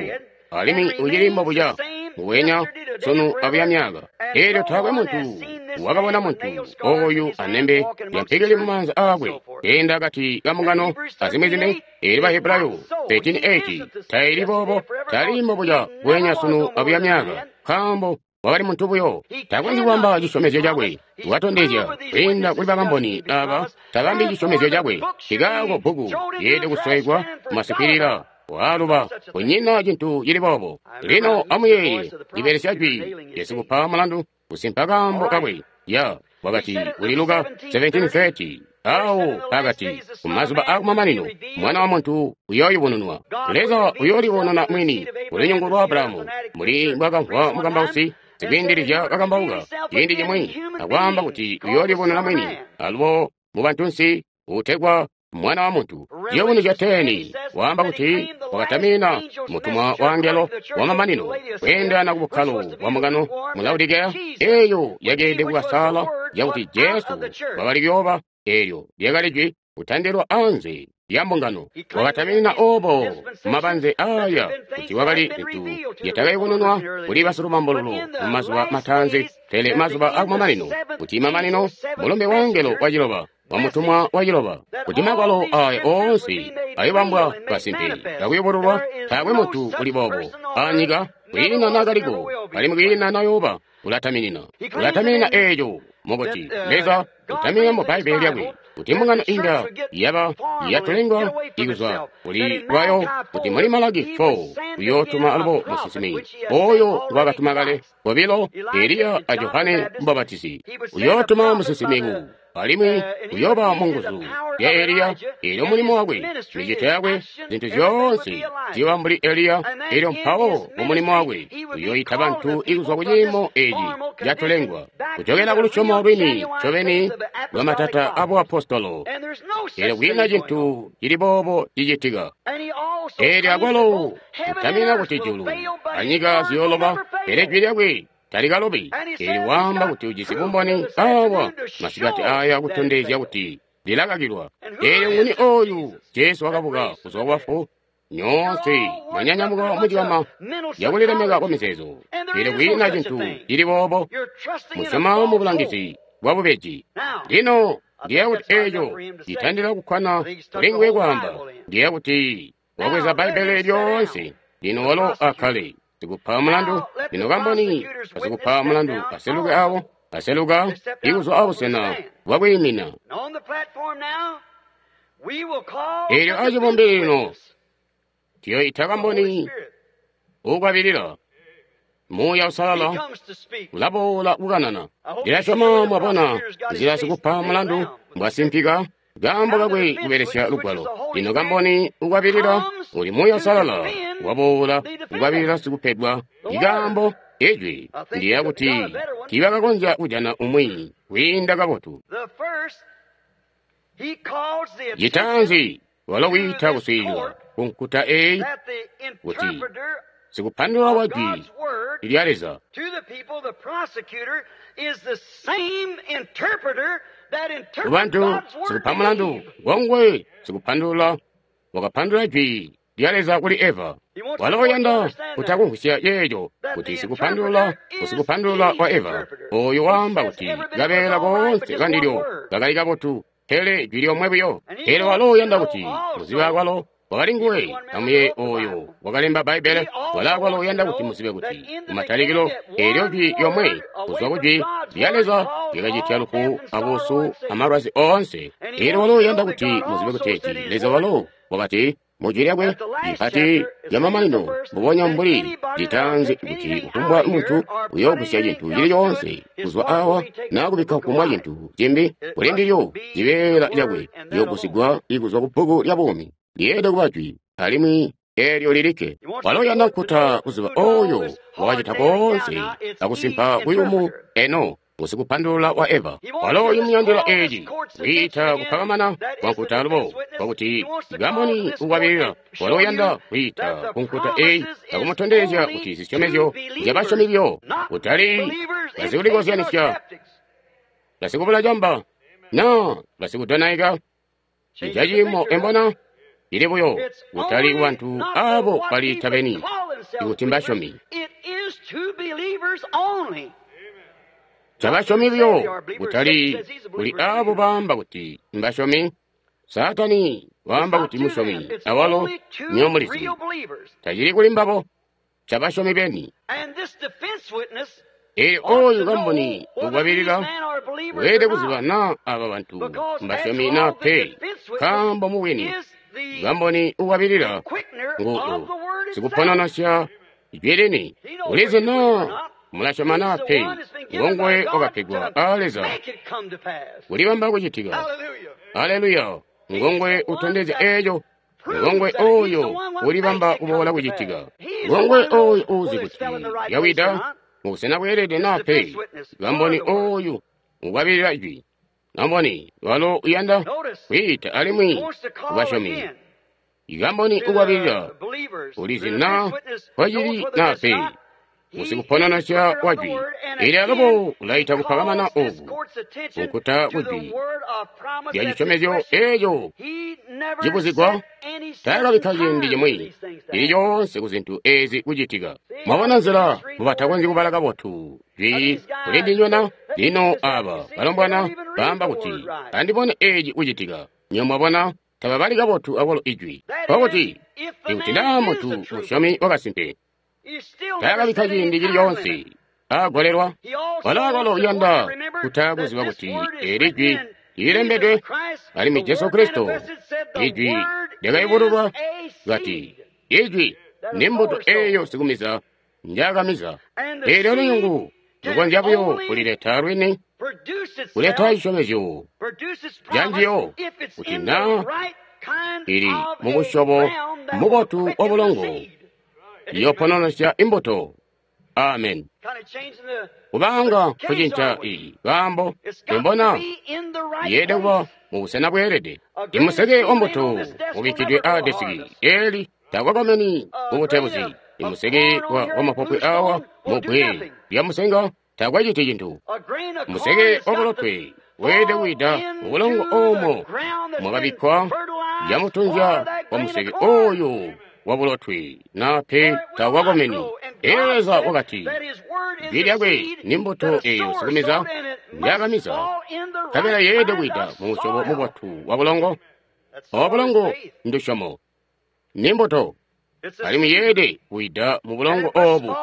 alimwi ucili mbobuca nguwenya sunu abuya myaka. Eelyo taakwe muntu wakabona muntu oyu anembe lyampikili mumaanza aakwe keenda akati ka mbungano azimwi-zimwi. Eelyo Bahebrayo 13:8 taili boobo, tali mbobuca nguwenya sunu abuya myaka, nkaambo wakali muntu buyo, takonzyi kubamba cisyomezyo cakwe. Wakatondezya kwiinda kuli bakamboni aaba tabambi cisyomezyo cakwe. Nkikaako bbuku lyeelede kuswaigwa masikwilila waaluba, kunyina cintu cili boobo. Lino amuyeeye, libelesya jwi lyasikupa mulandu kusimpa kaambo kakwe. Ya wakati kuli Luka 17:30 awo pakati kumazuba akumamanino mwana wa muntu uyooyubununwa. Leza uyoolibonona mwini kulunyungu lwa Abrahamu, mbuli mbwakamvwa mukambausi Sikwiindilizya kakambauka ciindi cimwi akwaamba kuti uyoolibonena mwini alubo mu bantunsi uutegwa Mwana wa Muntu. Ciyubunuzyo 10 waamba kuti wakatamina mutumwa wa angelo wamamanino kweendelana ku bukkalo bwa mbungano mu Laodikeya, eeyo yakeelede kukasala yakuti Jesu wakali kuyooba, eelyo lyakali jwi kutandilwa anze lya mbungano. Wakataminina oobo mabanze aaya kuti wakali zintu zyatakayubununwa kuli basilumambululu mumazuba mataanzi, pele mazuba akumamanino, kuti mamanino mulumbe wa angelo waciloba wa mutumwa waciloba, kuti magwalo aaya oonse ayobambwa kasimpe kakuyubululwa. Taakwe muntu uli boobo anyika, kwiina naakaliko alimwi kwiina nayooba. Ulataminina, ulataminina eeco mukuti Leza utaminina mu Bbaibbele lyakwe kuti mbungano inga yaba yatulengwa ikuzwa kuli lwayo, kuti muli Malaki 4 uyootuma alubo musinsimi oyo ngwakatuma kale kobilo, Eliya a Johane Mubapatizi. Uyootuma musinsimi alimwi uyooba mu nguzu ya Eliya, eelyo mulimo wakwe, micito yakwe, zintu zyoonse ziyooba mbuli Eliya, eelyo mpawo mu mulimo wakwe uyooyita bantu ikuzwa ku ciimo eeci catulengwa kujokela ku lusyomo lwini ncobeni lwa matata a buapostolo. Eelyo kwiina cintu cili boobo cicitika. Eelyo akwalo kutamina kuti julu anyika ziyooloba, pele jwi lyakwe talikalobi. Eelyo waamba kuti ujisi bumboni awa masikati aya kutondezya kuti lilakakilwa. Eelyo nguni oyu Jesu wakabuka kuzwa kubafu? Nyoonse mwanyanyamuka mucikama yakulilemeka kwa mizeezo. Eelyo kwiina cintu cili boobo. Musyoma mu bulangizi bwa bubeji. Lino ndiyeeya kuti eeco citandila kukkwana kulinguwe kwaamba. Ndiyeeya kuti wabweza Bbaibbele lyoonse. Lino walo akkale sikupa mulandu. Lino kamboni asikupa mulandu aseluke awo, aseluka ikuzwa abusena bwakwiimina. Eelyo acibumbili lino tuyoyita kamboni uukwabilila. Muuya Uusalala ulaboola kukanana. Ndilasyoma mwabona nzila sikupa mulandu mbwasimpika kaambo kakwe kubelesya lugwalo. Lino kamboni ukwabilila uli Muuya Uusalala waboola kukwabilila sikupedwa ikaambo ijwi. Ndiyeeya kuti tiibakakonzya kujana umwi kwiinda kabotu. Citaanzi walo wiita kuswiilila kunkuta eeyi kuti sikupandulula wa jwi lya Leza kubantu, sikupa mulandu ngongwe sikupandulula wakapandulula jwi lya Leza kuli Eva. Walo uyanda kutakumvwisya yeeco kuti sikupandulula usikupandulula wa Eva oyo waamba kuti kabeela koonse kandilyo kakali kabotu, pele jwi lyomwe buyo. Pele walo uyanda kuti muzibe kwalo wakali nguwe amuye oyo wakalemba Bbaibbele. Wala kwalo uyanda kuti muzibe kuti kumatalikilo eelyo jwi lyomwe kuzwa ku jwi lya Leza lyakacitya lufu abuusu amalwazi oonse. Eelyo walo uyanda kuti muzibe kuteeti Leza walo wakati mu jwi lyakwe lipati lyamamanino mbubonya mbuli litaanzi kuti kufumbwa muntu uyoogusya cintu cili coonse kuzwa awa naa kubikka kufumbwa cintu cimbi kuli ndilyo, cibeela cakwe ciyoogusigwa ikuzwa ku bbuku lya buumi. Lyeelede kuba jwi alimwi eelyo lilikke. Walo uyanda nkuta kuziba oyo wakacita koonse akusimpa kuyumu eno usikupandulula wa Eva. Walo uyumuyandila eeci kwiita kupakamana kwa nkuta alubo kwakuti kamboni ukwabilila. Walo uyanda kwiita ku nkuta eeyi akumutondezya kuti zisyomezyo nzyabasyomi buyo, kutali basikulikozyanisya, basikubula camba naa basikudonaika. Icacimo embona lili buyo kutali kubantu aabo baliita beni ikuti mbasyomi. Cabasyomi buyo, kutali kuli aabo baamba kuti mbasyomi. Saatani waamba kuti musyomi, awalo nyomulizi. Tacili kuli mbabo, cabasyomi beni. Eelyo oyu kamboni ukwabilila weelede kuziba naa aaba bantu mbasyomi naa pe, nkaambo mubwini kamboni ukwabilila ngu sikupononosya jwi lini. Ulizi naa mulasyoma naa pe, ngonguwe wakapegwa aa Leza kulibamba kucitika. Aleluya! Ngonguwe utondezya eeco. Ngongwe oyo ulibamba kuboola kucitika. Ngongwe oyo uuzi kuti yawida mubusena bweelede naa pe. Kamboni oyu ukwabilila Ijwi. Kamboni walo uyanda kwiita alimwi kubasyomi. Kamboni ukwabilila ulizi naa mpocili naa pe. Usikupononosya wa Jwi. Elyo alubo ulaita kupakamana oku kunkuta kujwi lya cisyomezyo eeco cibuzigwa. Taakabikka ciindi cimwi cili coonse ku zintu ezi kucitika. Mwabona nzila mubatakonzyi kubala kabotu jwi kuli ndinywe na? Lino aba balombwana baamba kuti, Andibone eci kucitika. Nywebo mwabona, tababali kabotu akwalo ijwi. Nkokuti, ikuti naa muntu musyomi wakasimpe, taakabikka ciindi cili coonse aagolelwa. Walo akwalo uyanda kuta kuziba kuti eli jwi lilembedwe, alimwi Jesu Kristo, Ijwi lyakayubululwa, kati, Ijwi ni mbuto eyo sikumiza njaakamiza. Eelyo lunyungu lukonzya buyo kulileta lwini, kuleta cisyomezyo ca njiyo, kuti naa ili mubusyobo mubotu wa bulongo, iyopononosya imbuto. Amen. Kubanga kucinca iyi kaambo imbona yeede kuba mubusena bweelede. Imuseke wa mbuto ubikkidwe aa desiki eli takwakomeni kubutebuzi. Imuseke wa mapopwe awa mubbwe lya musenga takwaciti cintu. Museke wa bulotwe weelede kuwida mubulongo oomo mwakabikkwa yamutunzya wa museke oyu wa bulotwe na pe takwakomeni. Elyo Leza wakati, Jwi lyakwe ni mbuto eyo sikumiza njaakamiza, nkabela yeelede kuwida mu musyobo mubotu wa bulongo. Obo bulongo ndusyomo, ni mbuto, alimwi yeelede kuwida mu bulongo obu,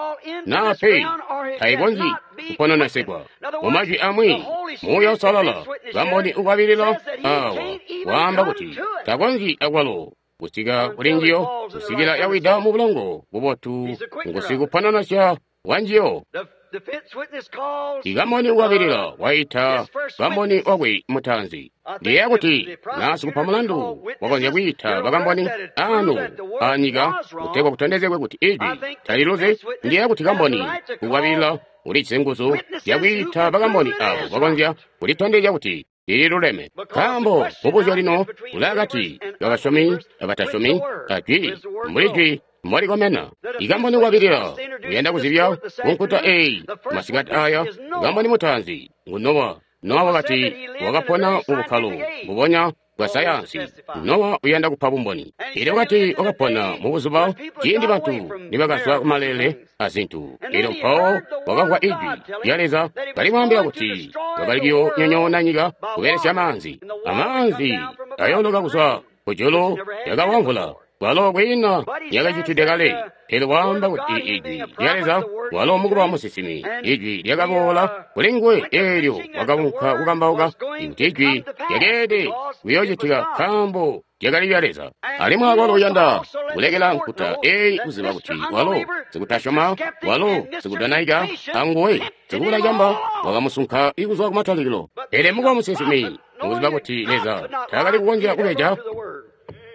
naa pe tayikonzyi kupononesegwa. Mu majwi amwi, Muuya Uusalala, kamboni ukwabilila awa, waamba kuti takonzyi akwalo kusika kuli njiyo kusikila yawida mu bulongo bubotu ngusikupononosya wa njiyo. Ikamboni ukwabilila waita kamboni wakwe mutaanzi. Ndiyeeya kuti naa sikupa mulandu wakonzya kwiita bakamboni anu anyika kutegwa kutondezegwe kuti ijwi taliluzi. Ndiyeeya kuti kamboni ukwabilila ulijisi nguzu zyakwiita bakamboni abo bakonzya kulitondezya kuti lililuleme. Nkaambo mubuzyo lino ulaakati kabasyomi abatasyomi ajwi mbuli jwi mbolikomena. Ikamboni ukwabilila uyanda kuzibya kunkuta eyi masikati aya. Kamboni mutaanzi ngu Nowa. Nowa wakati wakapona mu bukkalo mbubonya bwa sayansi. Nowa uyanda kupa bumboni. Elyo wakati wakapona mu buzuba ciindi bantu nibakazwa kumalele azintu. Elyo mpawo wakamvwa ijwi lya Leza kalimwaambila kuti wakali kuyoonyonyoona nyika kubelesya maanzi. Amaanzi ayooloka kuzwa kujulu yakawa mvula, walo kwiina yakacitide kale. Pele waamba kuti ijwi lya Leza, walo mukuba musinsimi, ijwi lyakaboola kuli nguwe eelyo wakaunka kukambauka kuti ijwi lyakeelede kuyoocitika nkaambo lyakali lya Leza. Alimwi akwalo uyanda kulekela nkuta eyi kuziba kuti walo sikutasyoma, walo sikudonaika, anguwe sikubula camba wakamusunka kuzwa kumatalikilo. Pele mukuba musinsimi, mukuziba kuti Leza taakali kukonzya kubeja,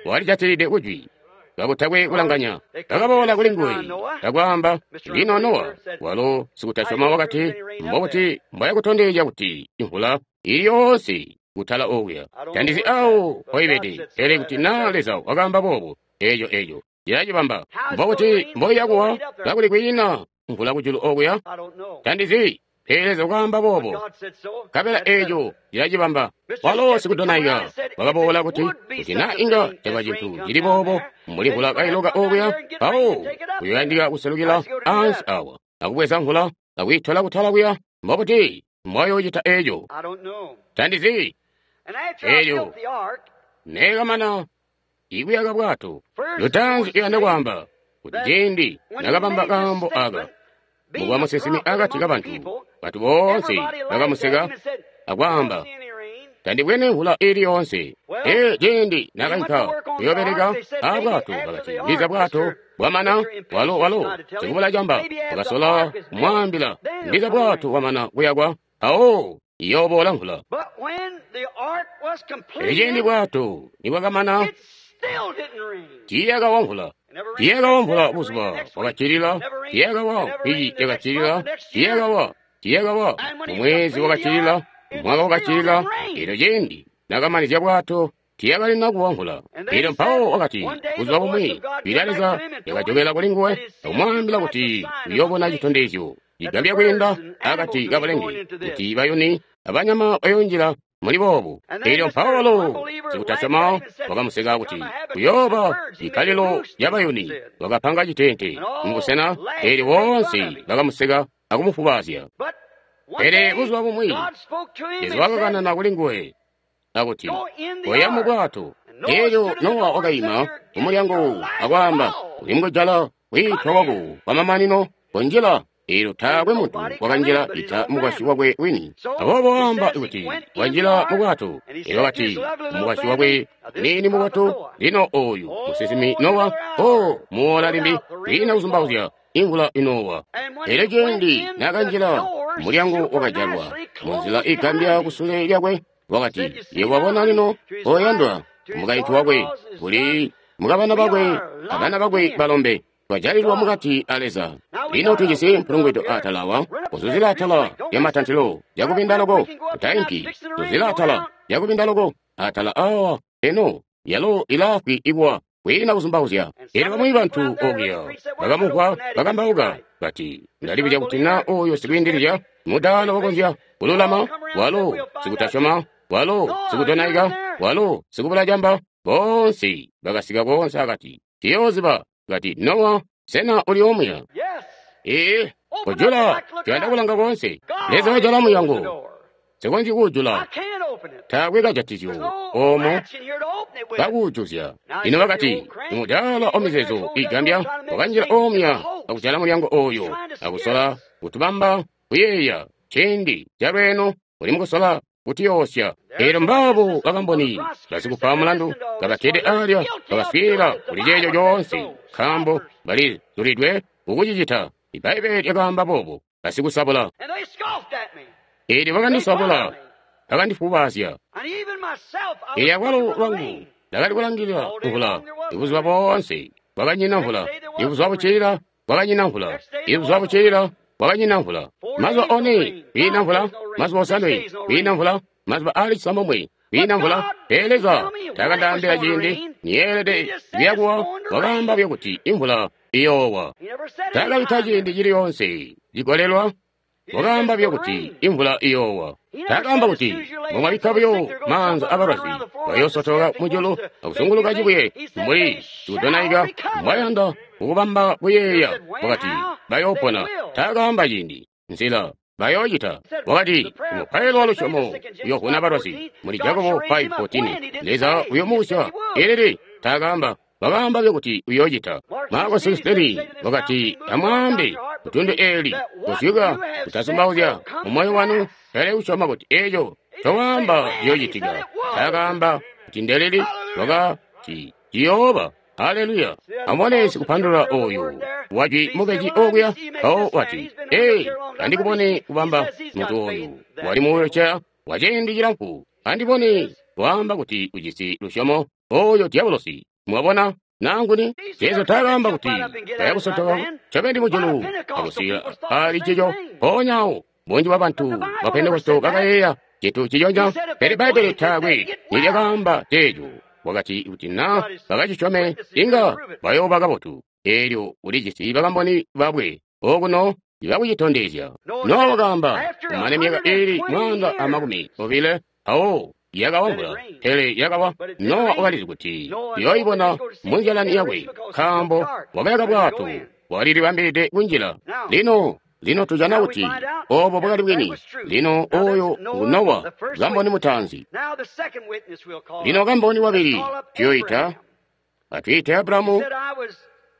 walijatilide kujwi kakutakwe kulanganya. Bakaboola kuli nguwe akwaamba, Lino Nowa, walo sikutasyoma wakati, mbobuti mbwayakutondezya kuti imvula ili yoonse kutala okuya? Tandizi awo mpoibede, pele kuti naa Leza wakaamba boobo, eeco cilacibamba. Mbobuti mboiyakuwa kakuli kwiina mvula kujulu okuya? Tandizi, pele Leza wakaamba boobo, nkabela eeco cilacibamba. Walo sikudonaika wakaboola kuti, kuti naa inga caba cintu cili boobo mbuli mvula kailoka okuya, mpawo kuyoyandika kuselukila ansi awa akubweza mvula akuyitola kutala kuya. Mbobuti mbwayoocita eeco? Tandizi. Eelyo neekamana ikuyaka bwato, lutaanzi uyanda kwaamba kuti ciindi nakabamba kaambo aka, mukuba musinsimi akati kabantu, bantu boonse bakamuseka akwaamba, Tandibwene mvula ili yoonse. Ee, ciindi nakainka kuyoobeleka aabwato, bakati, ndiza bwato bwamana. Walo sikubula camba wakasola kumwaambila, ndiza bwato bwamana kuyakwa, mpawo iyooboola mvula. Pele ciindi bwato nibwakamana Tiiyakawa mvula. Tiiyakawa mvula buzuba bwakacilila. Tiiyakawa mvwiki yakacilila. Tiiyakawa. Tiiyakawa mumwezi wakacilila, mwaka wakacilila. Elyo ciindi nakamanizya bwato, tiiyakalina kuwa mvula. Elyo mpawo wakati, buzuba bumwi, jwi lya Leza lyakajokela kuli nguwe, akumwaambila kuti uyoobona citondezyo cigambya kwiinda akati kabulenge, kuti bayuni abanyama bayoonjila muli boobu. Elyo mpawo walo sikutasyoma wakamuseka kuti kuyooba ikkalilo lya bayuni, wakapanga citeente mubusena, elyo boonse bakamuseka akumufubaazya. Pele buzuba bumwi Leza wakakanana kuli nguwe akuti, koya mu bwato. Elyo Nowa wakaima kumulyango akwaamba, uli mukujala kwiitwa kwako kwamamanino, konjila. Elyo taakwe muntu wakanjila ita mukwasyi wakwe wini. Aboobo waamba kuti wanjila mu bwato. Elyo wakati mukwasyi wakwe nini mu bwato, lino oyu musinsimi Nowa, o muwola limbi, kwiina kuzumbauzya imvula inowa. Elyo ciindi nakanjila, mulyango wakajalwa munzila igambya kusule lyakwe. Wakati, yebo wabona lino, oyandwa, mukaintu wakwe, kuli mukabana bakwe abana bakwe balombe, twajalilwa mukati a Leza. Lino tujisi mpulungwido atala awa, kuzuzila atala lya matantilo yakubinda loko, kutainki, kuzuzila atala yakubinda loko, atala awa, eno, yalo ilaafwi ikuwa, kwiina kuzumbauzya. Elyo bamwi bantu okuya bakamuvwa bakambauka, bati, ndalibuzya kuti na oyo sikwiindilizya mudaala wakonzya kululama, walo sikutasyoma, walo sikudonaika, walo sikubula camba, boonse bakasika koonse akati. Tiyooziba, kati, Nowa, sena uli omuya? Ee, kujula, tuyanda kulanga koonse. Leza wajala mulyango. Sikonzyi kuujula. Taakwe kajatizyo omo kakuujuzya. Lino bakati, imudaala omizeezo igambya wakanjila omuya akujala mulyango oyo, akusola kutubamba kuyeeya ciindi calweeno uli mukusola kutiyoosya. Elyo mbaabo bakamboni basikupa mulandu kabakkede alya bakaswiilila kuli ceeco coonse, nkaambo balizulidwe kukucicita. Ibbaibbele lyakaamba boobo, basikusabula. Elyo bakandisabula, bakandifubaazya. Elyo akwalo lwangu ndakali kulangilila mvula ibuzuba boonse, kwakanyina mvula. Ibuzuba bucilila kwakanyina mvula. Ibuzuba bucilila kwakanyina mvula. Mazuba one kwiina mvula, mazuba osanwe kwiina mvula, mazuba aali cisambomwe kwiina mvula. Pele Leza taakandaambila ciindi niyeelede kuyakuwa, wakaamba buyo kuti imvula iyoowa. Taakabikka ciindi cili yoonse cigolelwa, wakaamba buyo kuti imvula iyoowa. Taakaamba kuti mbomwabikka buyo maanza abalwazi bayoosotoka mujulu akuzunguluka cibuye mbuli sikudonaika mbwayanda kukubamba kuyeeya. Wakati bayoopona. Taakaamba ciindi, nzila bayoocita. Wakati umupailo wa lusyomo uyoovuna balwazi muli Jakobo 5:14. Leza uyomuusya. Elili taakaamba, wakaamba buyo kuti uyoocita. Marko 6:30 wakati amwaambe kutundu eeli kuzyuka kutazumbauzya mumoyo wanu, pele kusyoma kuti eeco ncowaamba ciyoocitika. Taakaamba kuti ndelili, wakati ciyooba. Haleluya! Amubone sikupandulula oyu wajwi mubeji okuya, mpawo wati, ee, andikubone kubamba muntu oyu wali mu wheelchair kwa ciindi cilamfu, andibone waamba kuti ujisi lusyomo oyo diabolosi. Mwabona? Nanguni Jesu taakaamba kuti bayakusotoka ncobeni mujulu akusika ali cico. Mpoonya awo bunji bwa bantu ba Pentekosto bakayeeya cintu ciconya, pele Bbaibbele taakwe nilyakaamba ceeco. Wakati kuti na bakacisyome inga bayooba kabotu. Eelyo ulijisi bakamboni babwe okuno ibakucitondezya. Nowa wakaamba kumane myaka iili 120 mpawo yakawa mvula, pele yakawa. Nowa wakalizi kuti uyooibona munzyalani yakwe, nkaambo wakayaka bwato, walilibambilide kunjila. Lino lino tujana kuti obo bwakali bwini. Lino oyo ngu Nowa, kamboni mutaanzi. Lino kamboni wabili tuyoita, atwiite Abrahamu.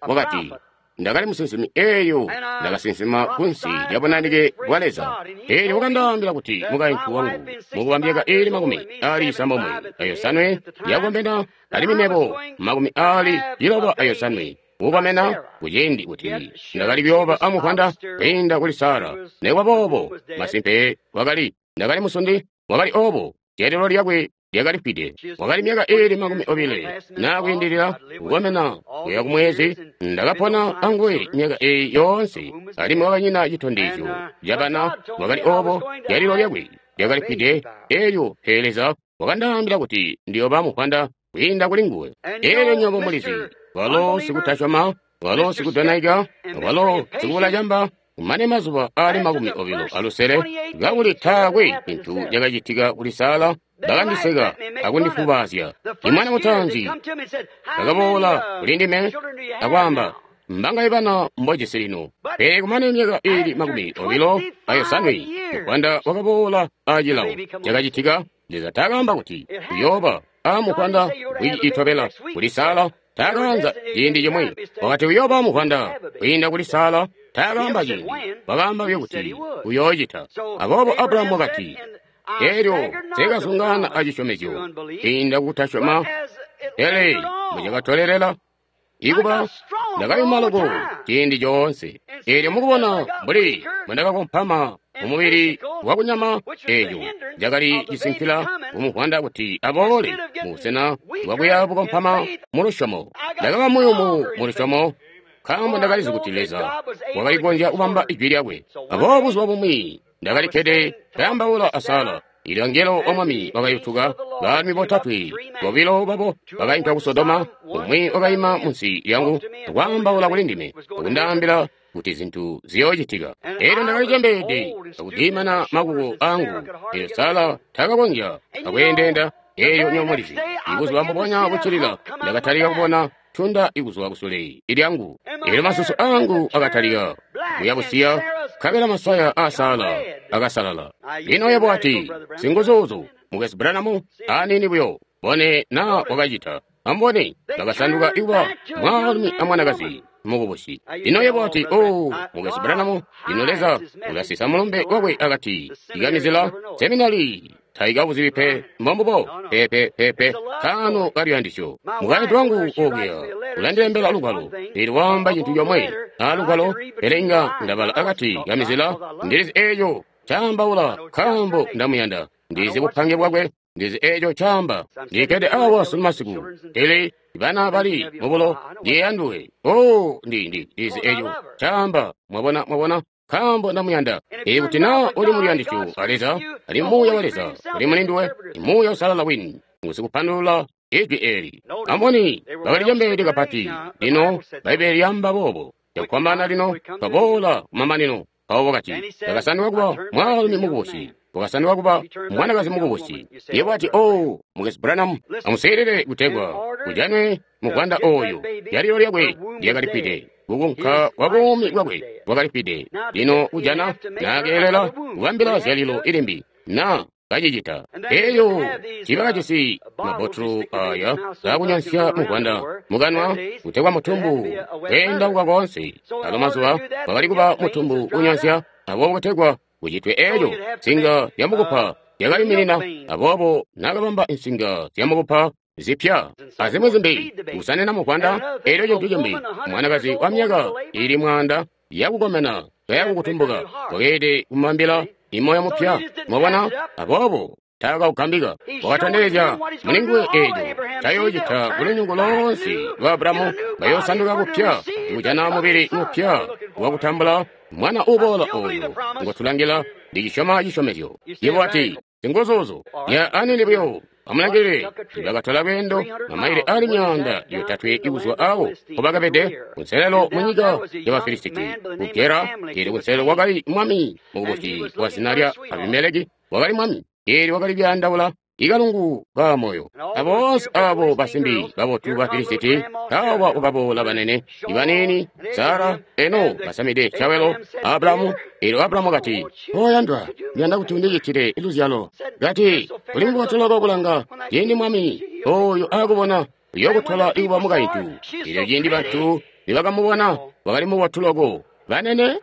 Wakati, ndakali musinsimi, eyo ndakasinsima kunsi lya bunanike bwa Leza. Eelyo wakandaambila kuti mukaintu wangu mukuba myaka iili 97 yakukomena, alimwi mebo 97 kukomena, kuciindi kuti ndakali kuyooba amuvwanda kwiinda kuli Sara. Nikuba boobo, masimpe wakali, ndakali musundi, wakali obo, jeelelo lyakwe lyakali fwide. Wakali myaka iili 20 na kwiindilila kukomena kuya kumwezi. Ndakapona anguwe myaka eyi yoonse, alimwi wakanyina citondezyo cabana. Wakali obo zyalilo lyakwe lyakali fwide elyo, pele Leza wakandaambila kuti ndiyoba muvwanda kwiinda kuli nguwe. Elyo nywebo mulizi, walo sikutasyoma, walo sikudonaika, walo sikubula camba, kumane mazuba aali 26, kakuli taakwe cintu cakacitika kuli Sara, bakandiseka akundifubaazya. Imwana mutaanzi bakaboola kuli ndime akwaamba, mbangaye bana mbojisi lino? Pele kumane myaka iili 27, muvwanda wakaboola acilawo. Cakacitika, Leza taakaamba kuti uyooba amuvwanda wiki itobela kuli Sara. Taakaanza ciindi cimwi. Wakati uyooba muvwanda kwiinda kuli Sara. Taakaamba ciindi, wakaamba buyo kuti uyoocita. Aboobo Abrahamu wakati, elyo nsikazungaana acisyomezyo kwiinda kutasyoma, pele mbucakatolelela ikuba ndakayuma loko ciindi coonse. Eelyo mukubona mbuli mbwendakakompama mumubili wakunyama, eeco cakali cisinkila kumuvwanda kuti aboole mubusena bwakuya bukompama mu lusyomo. Ndakaba muyumu mu lusyomo, nkaambo ndakalizi kuti Leza wakali kukonzya kubamba ijwi lyakwe. Aboobo buzuba bumwi ndakali kkede kaambaula a Sara. Ilyo angelo wa Mwami wakayutuka, baalumi botatwe, bobilo babo bakainka ku Sodoma, umwi wakaima munsi lyangu akwaambaula kuli ndime, akundaambila kuti zintu ziyoocitika. Elyo ndakali cembeede akudimana makuko angu, elyo Sara takakonzya akweendeenda. Elyo nywebo mulizi, ibuzuba mbubonya buccilila ndakatalika kubona tunda ikuzwa kusule lyangu. Elyo masusu angu akatalika kuyabusiya, nkabela masaya a Sara akasalala. Lino yebo wati, singuzuuzu, Mukwesu Branham, aniini buyo, bone na wakacita. Ambone, bakasanduka ikuba mwaalumi amwanakazi mukubusi. Lino yebo wati, oh, Mukwesu Branham, lino Leza ulasisa mulumbe wakwe akati ikamizila seminari taikabuzibi pe. Mbombubo, pepe pepe, kano kaluyandisyo. Mukaintu wangu okuya ulandilembela lugwalo, pele waamba cintu comwe alugwalo, pele inga ndabala akati kamizila. Ndilizi eeco caambaula, nkaambo ndamuyanda. Ndizi bupange bwakwe, ndizi eeco caamba. Ndikkede awa sunu masiku, pele bana bali mubulo ndiyeyanduwe. Oh, ndizi eeco caamba. Mwabona, mwabona, nkaambo ndamuyanda. Ikuti na uli muluyandisyo a Leza, ali Muuya wa Leza uli mulinduwe, Muuya Usalala wini ngusikupandulula ijwi eli. Amboni bakali cembeede kapati. Lino Bbaibbele lyaamba boobo cakufwambaana. Lino twaboola kumamanino. Mpawo wakati, ndakasanduka kuba mwaalumi mukubusi, wakasanduka kuba mwanakazi mukubusi. Yebo wati, oh, Mukwesu Branham, amuseelele kutegwa kujanwe muvwanda oyu. Zyalilo lyakwe lyakalifwide, kukunka kwa buumi bwakwe bwakalifwide. Lino kujana naakeelela kubambila zyalilo ilimbi na kacicita. Eyo tiibakajisi mabbotulu aya kakunyansya muvwanda mukanwa kutegwa mutumbu kweendauka koonse. Alo mazuba wakali kuba mutumbu unyansya, aboobo kutegwa kucitwe eeco, nsinga zyamukupa zyakayuminina. Aboobo naakabamba insinga zyamukupa zipya azimwi zimbi kusanina muvwanda. Elyo cintu cimbi, mwanakazi wa myaka ili 100 yakukomena kayakukutumbuka wakeelede kumubambila imoyo mupya. Mwabona? Aboobo taakaugambika. Wakatondezya mulinguwe eeco cayoocita kulunyungu loonse lwa Abrahamu. Bayoosanduka kupya kujana mubili mupya wakutambula mwana uboola oyo ngotulangila. Ndicisyoma cisyomezyo. Yebo wati, singuzuuzu ya anini buyo. Amulangilile, bakatola lweendo mamaile ali 300 ikuzwa awo mpobakabede kunselelo munyika ya Bafilisiti ku Gera. Eelyo kunselelo kwakali mwami mukubusi wa zina lya Abimeleki, wakali mwami. Eelyo wakali kuyandaula ikalungu ka moyo. Aboonse abo basimbi babotu ba Filisiti, awa wakaboola banene ibanini, Sara eno basamide cawelo Abrahamu. Eelyo Abrahamu wakati, oyandwa, ndiyanda kuti undicitile luzyalo. Kati, uli mubotu loko kulanga, ciindi mwami oyo akubona uyokutola ikuba mukaintu. Eelyo ciindi bantu nibakamubona, wakali mubotu loko banene,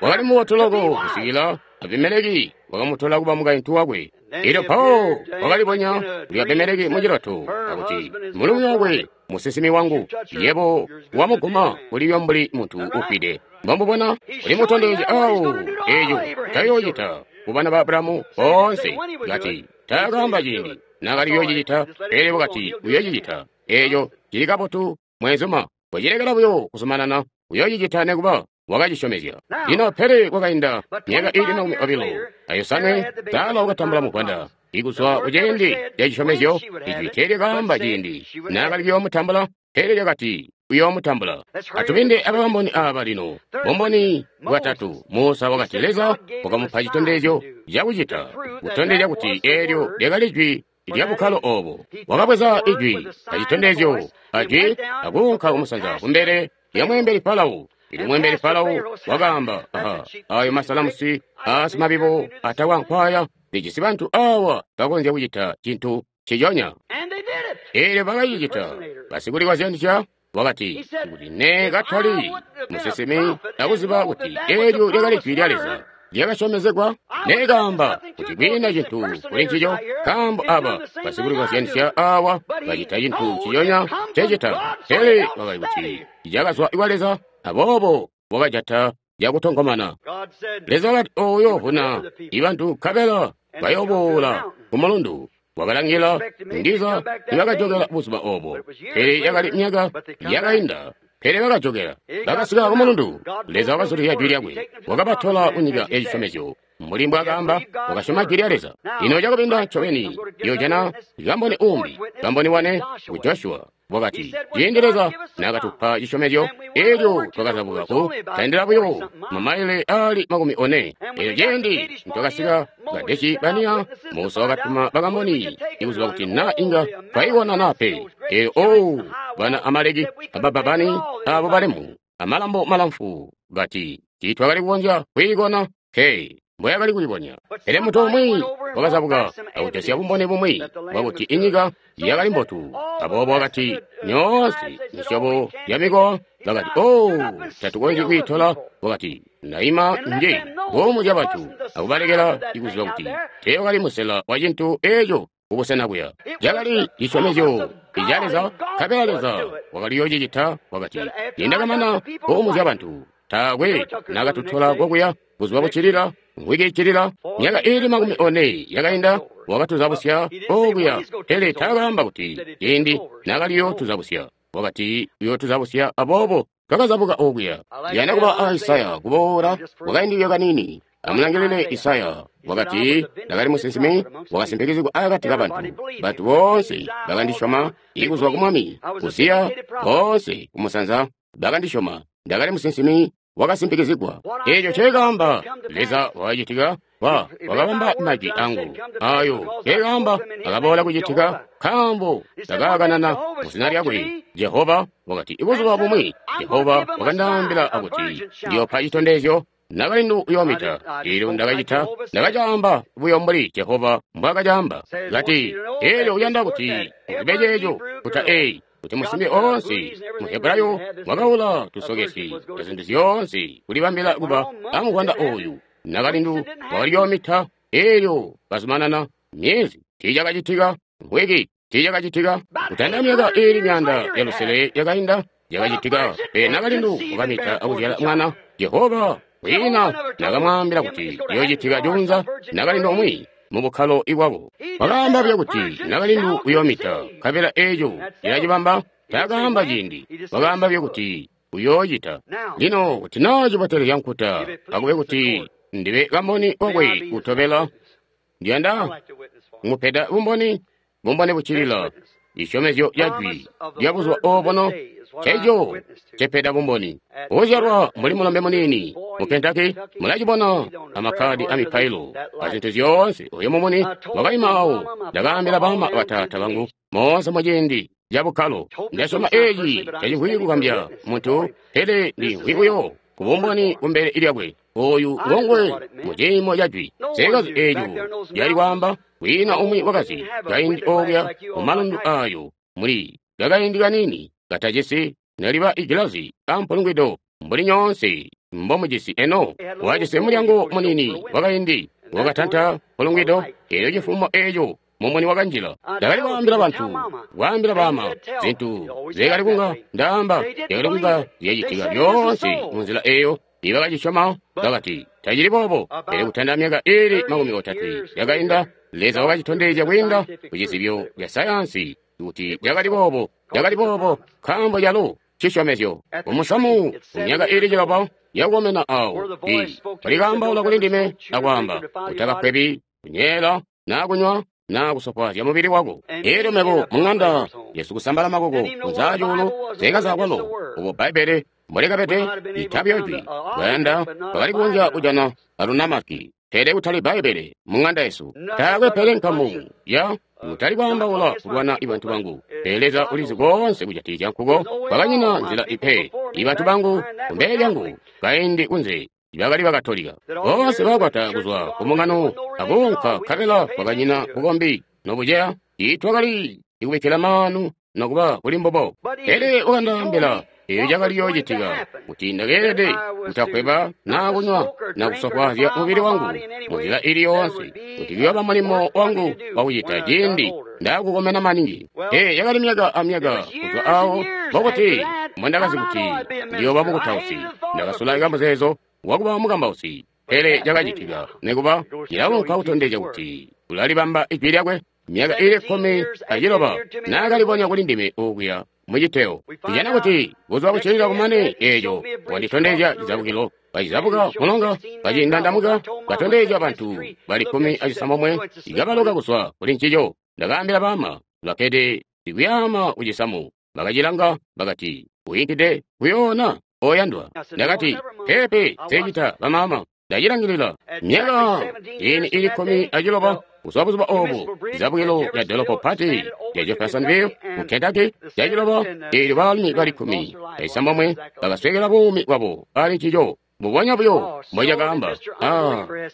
wakali mubotu loko kusikila Abimeleki wakamutola kuba mukaintu wakwe. Elyo mpawo wakalibonya kuli Abimeleki muciloto akuti, mulumi wakwe musinsimi wangu, yebo wamuguma uliyo mbuli muntu ufwide. Mbambubona uli mutondezya awo eeco tayoocita kubana ba Abrahamu boonse. Kati, taakaamba ciindi naakali kuyoocicita, pele wakati uyoocicita. Eeco cili kabotu, mweenzuma. Kocilekela buyo kuzumanana, uyoocicita nekuba. Wakacisyomezya. Lino pele kwakainda myaka iili 25, Sara wakatambula muvwanda. Ikuzwa kuciindi ca cisyomezyo, ijwi teelyakaamba ciindi naakali kuyoomutambula, pele lyakati uyoomutambula. Atubinde abakamboni aaba lino. Bumboni bwatatu, Musa wakati Leza wakamupa citondezyo cakucita, kutondezya kuti eelyo lyakali jwi lya bukkalo oobo. Wakabweza ijwi acitondezyo ajwi akuunka kumusanza kumbele lya mweembeli Farao. Elyo mweembeli Farao wakaamba, aha, ayo masalamusi aasimabibo atawankwaya, lijisi bantu awa bakonzya kucita cintu nciconya. Eelyo bakacicita. Basikulikwazyanisya wakati, kuti ne katali musinsimi akuziba kuti eelyo lyakali jwi lya Leza lyakasyomezegwa, nekaamba kuti kwiina cintu kuli ncico, nkaambo aba basikulikwazyanisya awa bacita cintu nciconya ncecita. Pele wakali kuti cakazwa kwa Leza, aboobo wakajata cakutonkomana. Leza wakati ooyo vuna ibantu nkabela bayooboola ku mulundu. Wakalangila ndiza nibakajokela buzuba oobo, pele yakali myaka yakainda. Pele bakajokela, bakasika ku mulundu. Leza wakazulizya jwi lyakwe, wakabatola kunyika ya cisyomezyo. Mbuli mbwaakaamba, wakasyoma jwi lya Leza. Lino cakubinda ncobeni, yoojana kamboni uumbi, kamboni wane ku Joshua. Wakati, ciindi Leza naakatupa cisyomezyo, eelyo twakazabuka ku tandila buyo mamaile aali 40. Eelyo ciindi nitwakasika Kadeshi Bania, Musa wakatuma bakamboni ikuziba kuti na inga twaikona naa pe. Eelyo owu bana Amaleki abababani abo balemu amalambo malamfu bati tiitwakali kukonzya kwiikona pe mbwayakali kulibonya. Pele muntu umwi wakazabuka akujosya bumboni bumwi bwakuti inyika yakali mbotu. Aboobo wakati nyoonse misyobo ya mikowa bakati, oh, tatukonzyi kwiitola. Wakati, ndaima nje kuumuzya bantu akubalekela ikuziba kuti teewakali musela wa cintu eeco kubusena kuya. Cakali cisyomezyo ica Leza, nkabela Leza wakali yoocicita. Wakati, nindakamana kuumuzya bantu, taakwe nakatutola kokuya. Buzuba buccilila, mvwiki iccilila, myaka iili 40 yakainda, wakatuzabusya okuya. Pele taakaamba kuti ciindi naakali yootuzabusya. Wakati uyootuzabusya, aboobo twakazabuka okuya. Ndiyanda kuba a Isaya kuboola kwakaindi kaniini. Amulangilile Isaya. Wakati, ndakali musinsimi, wakasimpikizigwa akati kabantu. Bantu boonse bakandisyoma, ikuzwa ku mwami Uziya, boonse kumusanza bakandisyoma. Ndakali musinsimi wakasimpikizigwa. Eeco nceekaamba Leza wakacitika, wakabamba majwi angu. Ayo nceekaamba akaboola kucitika, nkaambo ndakaakanana muzina lyakwe. Jehova wakati, ibuzuba bumwi Jehova wakandaambila akuti ndiyoopa citondezyo nakalindu uyoomita. Eelyo ndakacita, ndakacaamba buyo mbuli Jehova mbwaakacaamba. Kati, eelyo uyanda kuti uzibe ceeco kuta eyi, kuti musimbi oonse Muhebrayo wakaula tusokesi azintu zyoonse kulibambila kuba amuvwanda ooyu. Nakalindu wakaliyoomita, eelyo kazumanana myezi tiicakacitika, mvwiki tiicakacitika, kutanda myaka iili 600 yakainda yakacitika. Pele nakalindu wakamita akuzyala mwana. Jehova kwiina nakamwaambila kuti iyoocitika juunza nakalindu umwi mubukkalo ibwako. Wakaamba buyo kuti nakalindu uyoomita, nkabela eeco cilacibamba. Taakaamba ciindi, wakaamba buyo kuti uyoocita. Lino kuti naa cibotelezya nkuta, akube kuti ndibe kamboni wakwe utobela. Ndiyanda kumupeda bumboni, bumboni buccilila cisyomezyo ca jwi lya buzuba oobuno, nceco cepeda bumboni. Uzyalwa mbuli mulombe muniini mu Kentucky, mulacibona amakkadi amipailo azintu zyoonse. Oyo mumuni wakaima awo. Ndakaambila baama bataata bangu moonse muciindi ca bukkalo. Ndasyoma eeci tacimvwi kugambya muntu, pele ndimvwi buyo kubumboni kumbele lyakwe. Oyu ngonguwe muciimo ca jwi. Sekazi eeco lyali kwaamba, kwiina umwi wakazi kaindi okuya mumalundu ayo muli kakaindi kaniini katajisi neliba igilazi ampulungwido mbuli nyoonse mbomujisi eno. Wajisi mulyango muniini wakaindi wakatanta mpulungwido, eelyo cifumo eeco mumuni wakanjila. Ndakali kwaambila bantu, kwaambila baama zintu zyakali kunga ndaamba, zyakali kunga zyacitika lyoonse munzila eeyo. Tiibakacisyoma, bakati, tacili boobo. Pele kutanda myaka iili 30 yakainda, Leza wakacitondezya kwiinda ku cizibyo ca sayansi kuti cakali boobo, cakali boobo, nkaambo calo cisyomezyo. Kumusamu, kumyaka iili 6 yakukomena awo, walikaambaula kuli ndime akwaamba, utakakkwebi, kunyeela, naa kunywa, naa kusofwaazya mubili wako. Elyo mebo mung'anda yesu kusambala makoko kunzaa cuulu zekazakwalo ubo Bbaibbele mbolikabede itabi jwi bayanda bakali kunja kujana alunamaki, pele kutali Bbaibbele mung'anda yesu. Taakwe pele nkamu ya kutali kwaambaula kulwana ibantu bangu, pele Leza ulizi koonse kujatikizya nkuko. Kwakanyina nzila ipe ibantu bangu kumbele lyangu kaindi kunze bakali bakatolika boonse bakwata kuzwa kumungano akuunka nkabela kwakanyina bukombi nobuceya. Tiitwakali ikubikkila maanu nokuba kuli mbubo. Pele wakandaambila eyo cakali yoocitika kuti ndakeelede kutakweba naa kunywa na kusofwaazya mubili wangu munzila ili yoonse, kuti kuyooba mulimo wangu wakucita ciindi ndaakukomena maningi. Ee, yakali myaka amyaka kuzwa awo mbokuti mbondakazi kuti ndiyooba mukutausi. Ndakasulaika muzeezo wakuba mukambausi, pele cakacitika nikuba cilaunka kutondezya kuti ulalibamba ijwi lyakwe. Myaka iili 16 naakalibonya kuli ndime okuya muciteo. Tujana kuti buzuba buccilila kumane eeco wanditondezya cizabukilo, kacizabuka mulonga, kacindandamuka, katondezya bantu bali 16 ikabaloka kuzwa kuli ncico. Ndakaambila baama bakkede ikuyaama kucisamu, bakacilanga bakati, uyinkide kuyoona oyandwa. Ndakati, peepe, secita bamaama, ndacilangilila. Myaka ini ili 16 kuzwa buzuba obu, cizabukilo lya dolopo pati lya Jeffersonville mu Kentucky caciloba, eelyo baalumi bali 16 bakaswekela buumi bwabo ali ncico. Mbubonya buyo mbocakaamba,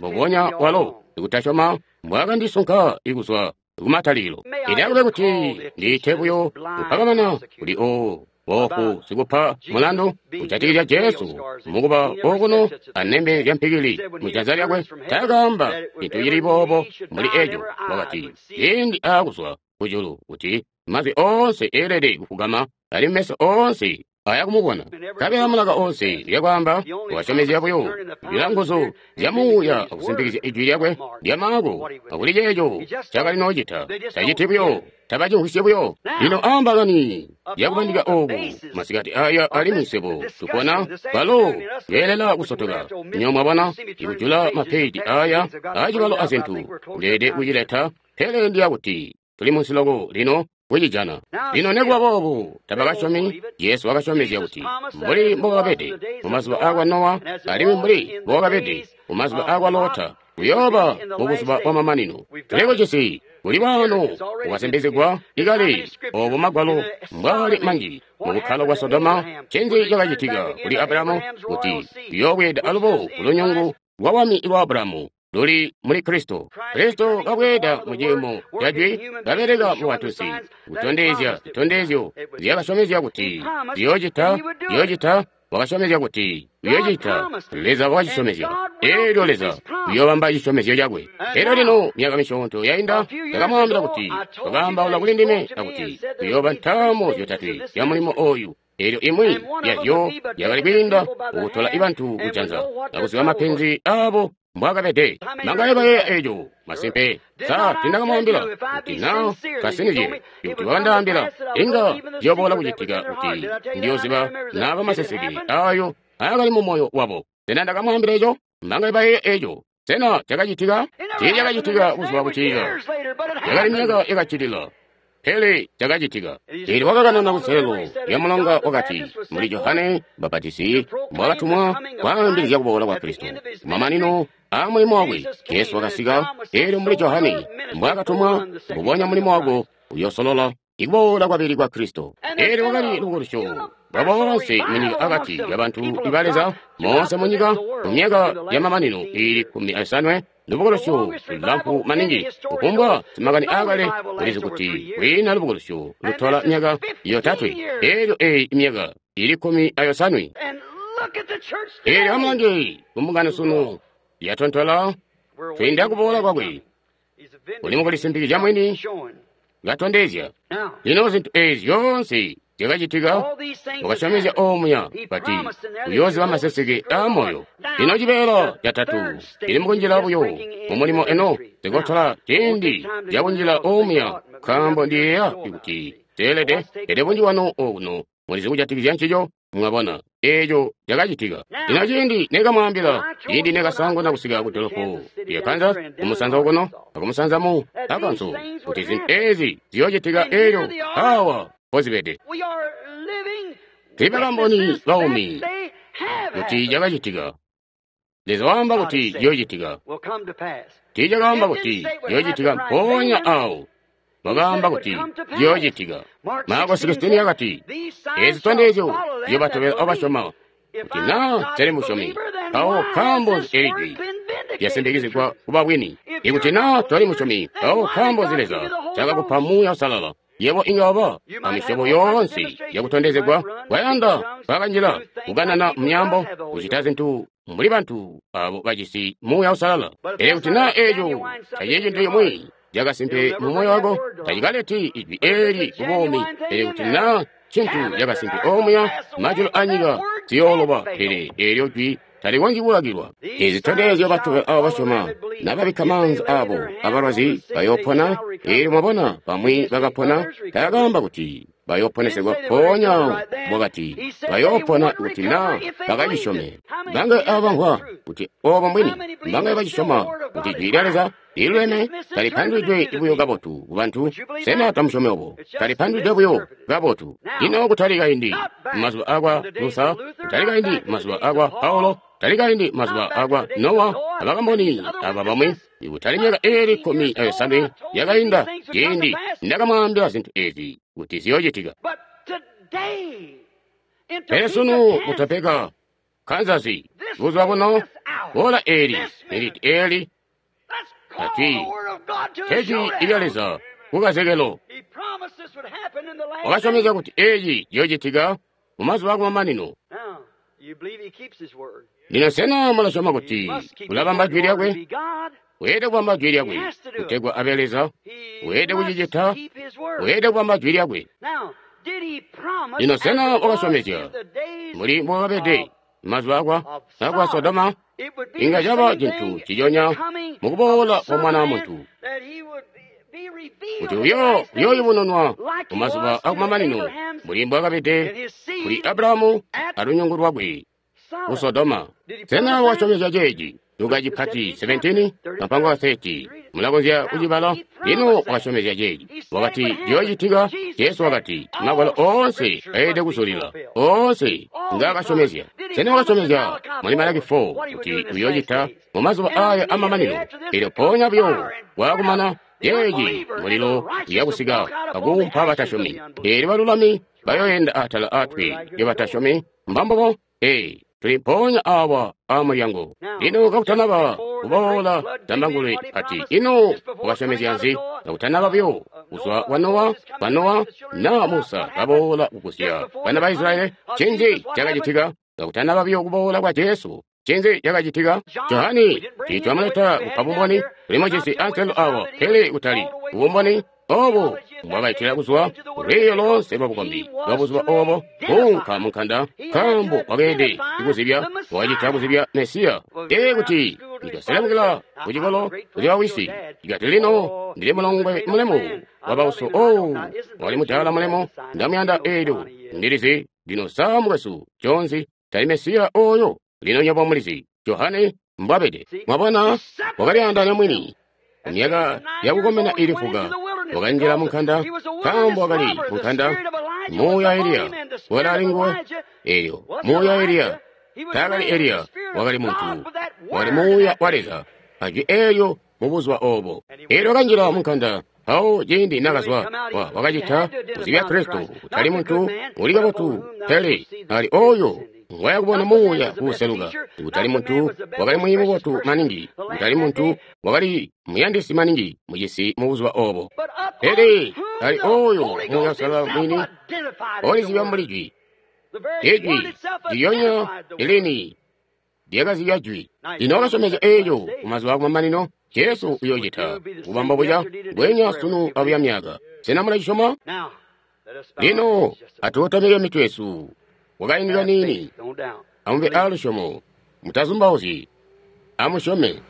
mbubonya walo ikutasyoma mbwaakandisunka ikuzwa kumatalikilo. Ilakube kuti ndiite buyo kupakamana kuli oo boofu sikupa mulandu kujatikizya Jesu mukuba okuno anembe lya mpikili mujanza lyakwe. Taakaamba cintu cili boobo muli eco. Wakati ciindi aakuzwa kujulu kuti mazwi oonse eelede kufugama alimwi meso oonse aya kumubona, nkabela mulaka oonse lyakwaamba wasyomezya buyo bila nguzu zya muuya akusimpikizya ijwi lyakwe lya Maako akuli ceeco cakali noocita. Taciti buyo, tabacimvwisye buyo. Lino aambakani yakubandika ooku masikati aya alimwi swebo tupona balo beelela kusotoka. Nyo mwabona ikujula mapeji aya aacibalo azintu ndeede kucileta, pele ndiya kuti tuli munsi loko lino kucijana. Lino nekuba boobu tabakasyomi. Jesu wakasyomezya kuti mbuli mbokakabede mumazuba aakwa Nowa alimwi mbuli mbokakabede mumazuba aakwa Lota, kuyooba mubuzuba bwamamanino. Tulikucisi kuli waano ukasembezegwa ikale obo magwalo mbwaali manji mubukkalo bwa Sodoma. Ncinzi cakacitika kuli Abrahamu kuti kuyoobweeda alubo kulunyungu lwa wami lwa Abrahamu luli muli Kristo. Kristo kabweeda mu ciimo ca jwi, kabeleka mu batusi, kutondezya zitondezyo zyakasyomezya kuti ziyoocita, ziyoocita, wakasyomezya kuti uyoocita. Leza wakacisyomezya. Eelyo Leza uyoobamba cisyomezyo cakwe. Elyo lino myaka misyoonto yainda, ndakamwaambila kuti wakaambaula kuli ndime akuti kuyooba ntaamo zyotatwe zya mulimo ooyu. Eelyo imwi yazyo yakali kwiinda kukutola ibantu kujanza akuziba mapenzi aabo mbwaakabede. Mangaye bayeeya eeco masimpe. Sa tindakamwaambila kuti naa kasinizye kuti wakandaambila inga ciyoboola kucitika kuti ndiyooziba naaba maseseke aayo aakali mumoyo wabo. Sena ndakamwaambila eco? Mangaye bayeeya eeco. Sena cakacitika? Tiicakacitika buzuba buccilila. Yakali myaka yakaccilila, pele cakacitika. Eelyo wakakanana kuselelo lya mulonga wakati, muli Johane Mbapatisi mbwakatumwa kwaambilizya kuboola kwa Kristo. Kumamanino aamulimo wakwe, Jesu wakasika. Eelyo mbuli Johane mbwakatumwa, mbubonya mulimo wako uyoosolola ikuboola kwabili kwa Kristo. Eelyo wakali lubukulusyo bwa boonse munyika akati kabantu ba Leza moonse munyika mu myaka yamamanino iili 15. Lubukulusyo lulamfu maningi kufumbwa simakani aakale ulizi kuti kwiina lubukulusyo lutola myaka yotatwe. Eelyo eeyi myaka ili 15. Eelyo amulange kumbungano sunu yatontola twiinda kuboola kwakwe. Uli mukulisimpikizya mwini katondezya. Lino zintu eezi zyoonse zyakacitika? Wakasyomezya omuya kati uyooziba maseseke aamoyo. Lino cibeela catatu cili mukunjila buyo mumulimo eno zikotola ciindi cakunjila omuya, nkaambo ndiyeeya kuti teelede, pele bunji bwanu okuno mulizi kujatikizya ncico. Mwabona eeco cakacitika. Lino ciindi nekamwaambila, ciindi nekasaanguna kusika ku dolopo lya Kansas, kumusanza okuno akumusanza mu Arkansas, kuti zintu eezi ziyoocitika eelyo awa mpozibede. Tuli bakamboni baumi kuti cakacitika. Leza waamba kuti ciyoocitika. Tiicakaamba kuti ciyoocitika mpoonya awo. Wakaamba kuti ciyoocitika. Marko 16 yakati, eezi zitondezyo ziyobatobela abasyoma, kuti naa tali musyomi, mpawo nkaambo nzi eli jwi lyasimpikizigwa kuba bwini? Ikuti naa toli musyomi, mpawo nkaambo nzi Leza ncaakakupa Muuya Uusalala? Yebo inga waba amisyobo yoonse yakutondezegwa, kwayanda kwakanjila kukanana myaambo, kucita zintu mbuli bantu abo bajisi Muuya Uusalala. Pele kuti naa eeco tacili cintu cimwi cakasimpe mu moyo wako, tacikaleti ijwi eeli kubuumi. Pele kuti naa cintu cakasimpe omuya, majulu anyika ziyooloba, pele eelyo jwi talikonzyi kulakilwa. Eezi zitondezyo batobela abo basyoma, nababikka maanza abo abalwazi bayoopona. Eelyo mwabona bamwi bakapona, taakaamba kuti bayooponesegwa mpoonya wakati bayoopona kuti naa bakacisyome. Mbangaye abamvwa kuti oobo mbwini? Mbangaye bacisyoma kuti jwi lya Leza liluleme talipandulwidwe buyo kabotu kubantu? Sena tamusyomi obo? Talipandulwidwe buyo kabotu. Lino kutali kaindi mazuba akwa Luther, kutali kaindi mazuba akwa Paulo, kutali kaindi mazuba akwa Nowa, abakamboni aba bamwi, kutali myaka eeli 15 yakainda ciindi ndakamwaambila zintu eezi kuti ziyoocitika. Pele sunu mu Topeka, Kansas, buzuba buno, boola eeli, niliti eeli, ati tejwi ilya Leza kukazekelo. Wakasyomezya kuti eeci ciyoocitika mumazuba akumamanino. Lino sena mulasyoma kuti ulabamba jwi lyakwe? Weelede kubamba jwi lyakwe kutegwa abe Leza. Weelede kucicita. Weelede kubamba jwi lyakwe. Lino sena wakasyomezya mbuli mbwakabede mazuba akwa Sodoma? Inga caba cintu nciconya mukuboola kwa Mwana wa Muntu, kuti uyooyubununwa mumazuba akumamanino mbuli mbwakabede kuli Abrahamu alunyungu lwakwe ku Sodoma. Sena wakasyomezya ceeci? Luka cipati 17 kampango 30 mulakonzya kucibala. Lino wakasyomezya ceeci, wakati ciyoocitika. Jesu wakati magwalo oonse ayelede kuzulila, oonse ngaakasyomezya. Sena wakasyomezya muli Malaki 4 kuti uyoocita mumazuba aaya amamanino? Eelyo mpoonya buyo waakumana yeeci mulilo uyakusika akuumpa batasyomi. Eelyo balulami bayoyenda atala atwi lyabatasyomi. Mbambubo. Ee, tuli mpoonya awa amulyango. Lino kakutanaba kuboola zambangulwe ati, ino wakasyomezya nzi? Kakutanaba buyo kuzwa kwa Nowa na Musa kaboola kugusya bana ba Israyeli, ncinzi cakacitika? Kakutanaba buyo kuboola kwa Jesu, ncinzi cakacitika? Johani tiitwamuleta kupa bumboni, tuli mujisi anselo awa, pele kutali bumboni obo mbwakaitila kuzwa lwiiyo loonse lwabukombi lwa buzuba obo kuunka munkanda, nkaambo wakeelede kuzibya, wakacita kuzibya Mesiya. Ee, kuti nitwaselemukila kucikolo kuti wawisi, ikati lino ndili mulongwe mulemu wa bauso. Oh, wali mudaala mulemu, ndamuyanda. Eelyo ndilizi lino saa mukwesu Jones tali Mesiya oyo. Lino nywebo mulizi Johane mbwabede. Mwabona, wakalyaandaanya mwini. Myaka yakukomena ili fuka wakanjila munkanda, nkaambo wakali munkanda. Muuya Eliya wakali ali nguwe. Eelyo muuya Eliya taakali Eliya, wakali muntu, wakali muuya wa Leza ajwi eelyo mubuzuba obo. Eelyo wakanjila munkanda. Mpawo ciindi nakazwa, wakacita kuzibya Kristo, kutali muntu uli kabotu, pele ali oyo ngwayakubona muuya kuuseluka. Kutali muntu wakali mwiiyi mubotu maningi, kutali muntu wakali muyandisi maningi mucisi mubuzuba obo, pele ali oyo Muuya Uusalala mwini olizibya mbuli jwi. Ijwi ndilyonya lilini lyakazibya jwi. Lino wakasyomezya eeco kumazuba akumamanino Jesu uyoocita kubamba buca mbweenya sunu abuya myaka. Sena mulacisyoma? Lino atukotamike mitwe yesu kwakaindi kaniini. Amube aalusyomo, mutazumbauzyi, amusyome.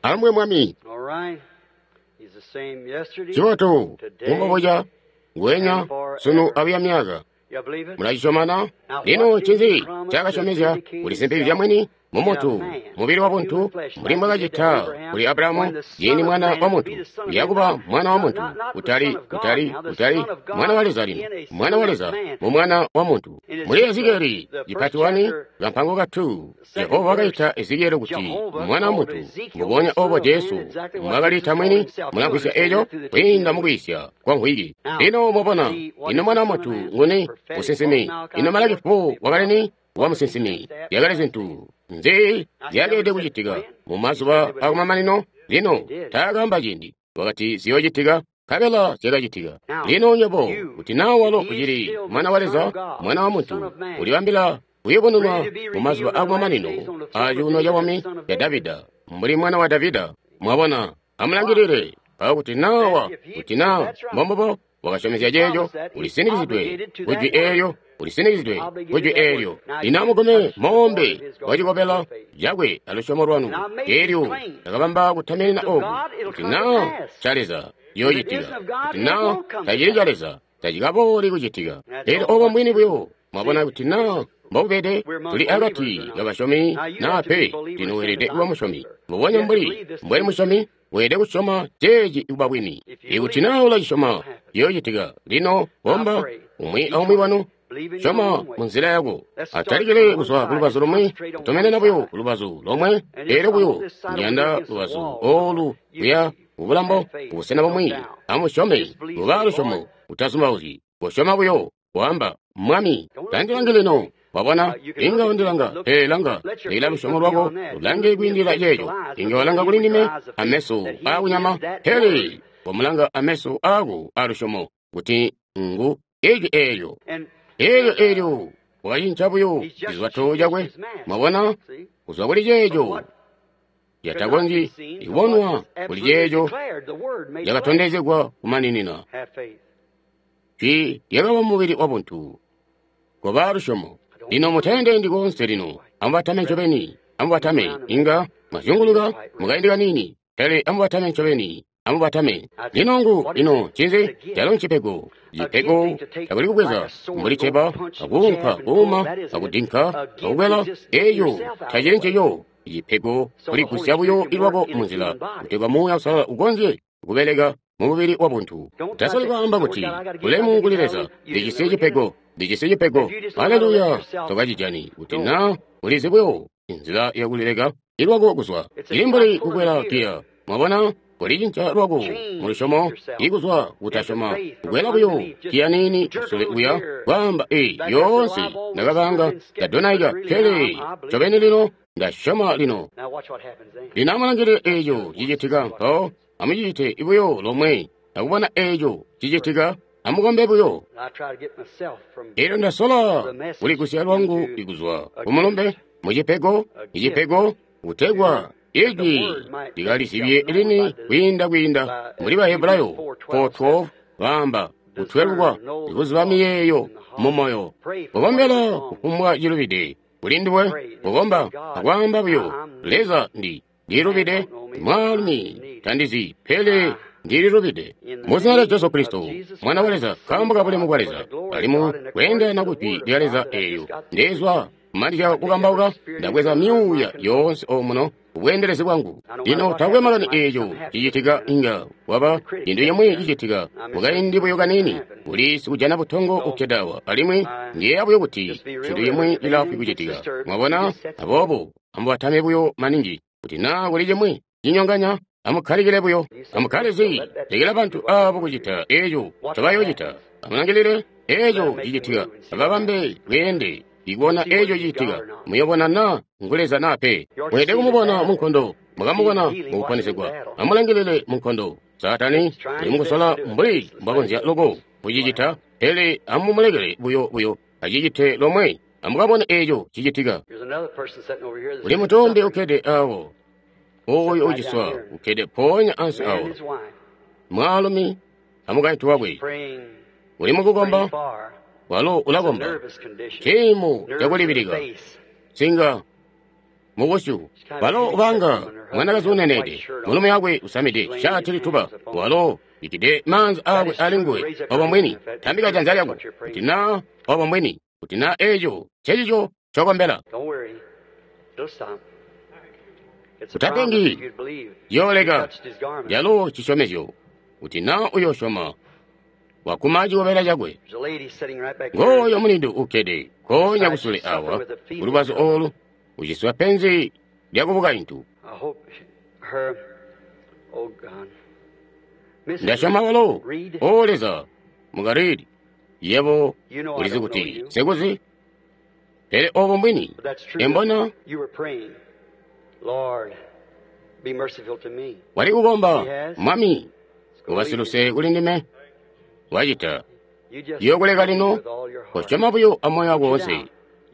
Alumbwe Mwami. Cibotu kumboboca ngwenya sunu abuya myaka. Mulacisyomana? Lino ncinzi ncaakasyomezya kuli simpikizya mwini mumuntu, mubili wabuntu, mbuli mbwakacita kuli Abrahamu ciindi mwana wa muntu uyakuba mwana wa muntu, kutali kutali kutali mwana wa Leza lino, mwana wa Leza mu mwana wa muntu. Muli Ezekieli cipati 1 kampango ka 2, Jehova wakaita Ezekieli kuti mwana wa muntu, mbubonya obo Jesu mbwakaliita mwini. Mulamvwisya eco kwiinda mukwiisya kwa mvwiki. Lino mwabona, ino mwana wa muntu nguni? Musinsimi. Ino Malaki 4 wakali ni? Wa musinsimi. Zyakali zintu nzi zyakeelede kucitika mu mazuba akumamanino? Lino taakaamba ciindi, wakati ziyoocitika, nkabela zyakacitika. Lino nywebo, kuti naa walo ucili mwana wa Leza, mwana wa muntu, ulibambila kuyubununwa mu mazuba akumamanino a cuuno cabwami ca Davida, mbuli mwana wa Davida. Mwabona, amulangilile mpawo kuti naa kuti naa mbombubo wakasyomezya ceeco, ulisinikizidwe kujwi eelyo, ulisinikizidwe kujwi eelyo. Lino amugome moombe wacikobela cakwe alusyomo lwanu. Eelyo ndakabamba kutaminina oku, kuti naa ca Leza ciyoocitika, kuti naa tacili ca Leza tacikabooli kucitika. Eelyo obo mbwini buyo. Mwabona kuti naa mbobubede, tuli akati kabasyomi naa pe. Lino weelede kuba musyomi, mbubonya mbuli mbweli musyomi. Weelede kusyoma ceeci kuba bwini. Ikuti naa ulacisyoma, ciyoocitika. Lino komba umwi aumwi wanu, syoma munzila yako. Atalikile kuzwa kulubazu lumwi, kutomenena buyo kulubazu lomwe. Eelyo buyo ndiyanda lubazu oolu kuya kubulambo kubusena bumwi. Amusyome, kuba lusyomo, utazumbauzyi. Kosyoma buyo, kwaamba, Mwami, tandilangi lino. Wabona, inga undilanga, pele langa, lekela lusyomo lwako lulange kwiindila ceeco. Inga walanga kuli ndime ameso aakunyama, pele wamulanga ameso aako aalusyomo, kuti ngu ijwi eelyo. Eelyo eelyo wakacinca buyo cizwato cakwe. Mwabona, kuzwa kuli ceeco catakonzyi kubonwa kuli ceeco cakatondezegwa kumaninina. Jwi lyakaba mubili wabuntu. Koba lusyomo. Lino muteendendi koonse lino, amubatame ncobeni, amubatame. Inga mwazyunguluka mukaindi kaniini, pele amubatame ncobeni, amubatame. Lino ngu, ino ncinzi? Calo ncipego. Cipego takuli kubweza mbuli ceba, akuunka, kuuma, akudinka, akukwela. Eeyo tacili ncico. Cipego kuligusya buyo ilwako munzila, kutegwa Muuya Uusalala ukonzye kubeleka mumubili wabuntu. Utasoli kwaamba kuti, ulemu kuli Leza, ndijisi cipego, ndijisi cipego. Haleluya! Tokacijani kuti naa ulizi buyo inzila yakulileka ilwako kuzwa. Ili mbuli kukwela giya. Mwabona, kulicinca lwako mulusyomo ikuzwa kutasyoma, kukwela buyo giya niini kusule kuya kwaamba, ee, yoonse ndakabanga ndadonaika, pele ncobeni lino ndasyoma lino. Lino amulangilile eeco cicitika mpawo. Amucicite buyo lomwe akubona eeco cicitika. Amukombe buyo. Eelyo ndasola kuligusya lwangu ikuzwa kumulumbe mucipego, icipego kutegwa ijwi likalizibye lini kwiinda kwiinda muli Bahebrayo 4:12 baamba kutwelukwa ikuziba miyeeyo mumoyo. Kukombela kufumbwa cilubide kuli nduwe, kukomba akwaamba buyo, Leza ndilubide, mwaalumi tandizi, pele ndililubide. Muzina lya Jesu Kristo, Mwana wa Leza, nkaambo ka bulemu bwa Leza, alimwi kweendelana kujwi lya Leza eelyo ndezwa kumanizya kukambauka, ndabweza myuuya yoonse omuno kubweendelezi bwangu. Lino taakwe makani eeco cicitika, inga waba cintu cimwi cicitika mukaindi buyo kaniini, kuli sikujana butongo upyedawa, alimwi ndiyeeya buyo kuti cintu cimwi cilaafwi kucitika. Mwabona? Aboobo amubatame buyo maningi kuti naa kuli cimwi cinyonganya. Amukkalikile buyo. Amukkale lekela bantu aabo kucita eeco ncobayoocita. Amulangilile eeco cicitika. Ababambe bweende ikubona eeco cicitika. Muyobona naa ngu Leza naa pe. Mweelede kumubona munkondo. Mukamubona mukuponesegwa. Amulangilile munkondo. Saatani uli mukusola mbuli mbwakonzya loko kucicita, pele amumulekele buyo buyo acicite lomwe. Amukabone eeco cicitika. Kuli mutumbi ukkede awo, ooyo uciswa ukkede mpoonya ansi awo, mwaalumi amukaintu wakwe. Uli mukukomba, walo ulakomba. Ciimo cakulibilika, nsinga mubusyu, walo ubanga mwanakazi uneneede, mulumi wakwe usamide shaati lituba, walo bikkide maanza aakwe ali nguwe. Obo mbwini, tambika janza lyako kuti naa obo mbwini, kuti naa eeco ncecico ncokombela. Utapengi, yooleka yalo cisyomezyo, kuti naa uyosyoma wakuma cikobela cakwe. Ngooyo mulindu ukkede nkoonya kusule awa kulubazu oolu, uciswa penzi lyakubukaintu. Ndasyoma walo, O Leza, mukaridi, yebo ulizi kuti sikuzi, pele obo mbwini. Embona wali kukomba, Mwami, ubasiluse kuli ndime. Wacita yokuleka lino, kosyoma buyo amoyo wako wonse,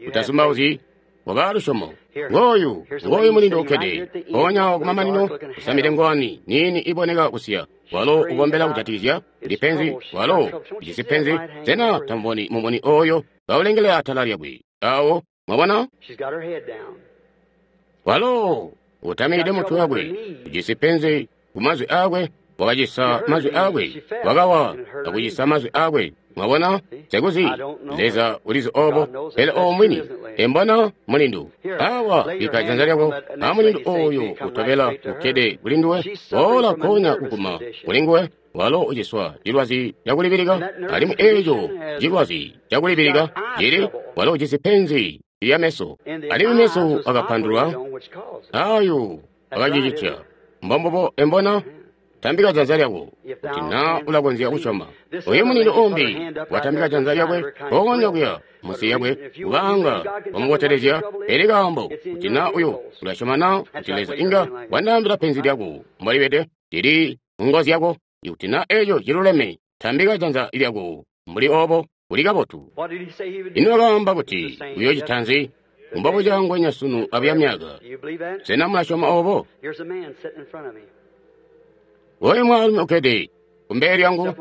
utasumbauzyi, waba lusyomo. Ngooyu, ngooyu mulindu ukkede mpoonya awo kumamanino, usamide ngowani niini iboneka kusiya. Walo ukombela kujatikizya ndi penzi, walo ujisi penzi. Sena tamuboni mumuni ooyo kaulengelela atala lyakwe awo? Mwabona, walo utamikide mutwe wakwe, ujisi penzi kumazwi aakwe, wakacisa mazwi aakwe, wakawa akucisa mazwi aakwe. Mwabona, sekuzi Leza ulizi obo, pele obo mwini. Embona mulindu awa, bikka janza lyako amulindu oyo utobela ukkede kuli nduwe, boola nkoonya kuguma kuli nguwe. Walo uciswa cilwazi cakulibilika, alimwi eeco cilwazi cakulibilika cili, walo ujisi penzi lya meso, alimwi meso akapandulwa ayo akacicitya. Mbombubo. Embona, tambika janza lyako kuti naa ulakonzya kusyoma. Oyo mulindu umbi watambika janza lyakwe mpoonya kuya munsi lyakwe, kubanga wamubotelezya. Pele kaambo kuti naa uyo ulasyoma naa kuti Leza inga wandaambila penzi lyako mbolibede, lili ngo zyako. Ikuti naa eeco ciluleme, tambika janza lyako mbuli obo, kuli kabotu. Ino wakaamba kuti uyoocita nzi? Mbobuca ngwenya sunu abuya myaka. Sena mulasyoma obo? Oyo mwaalumi ukkede kumbele lyangu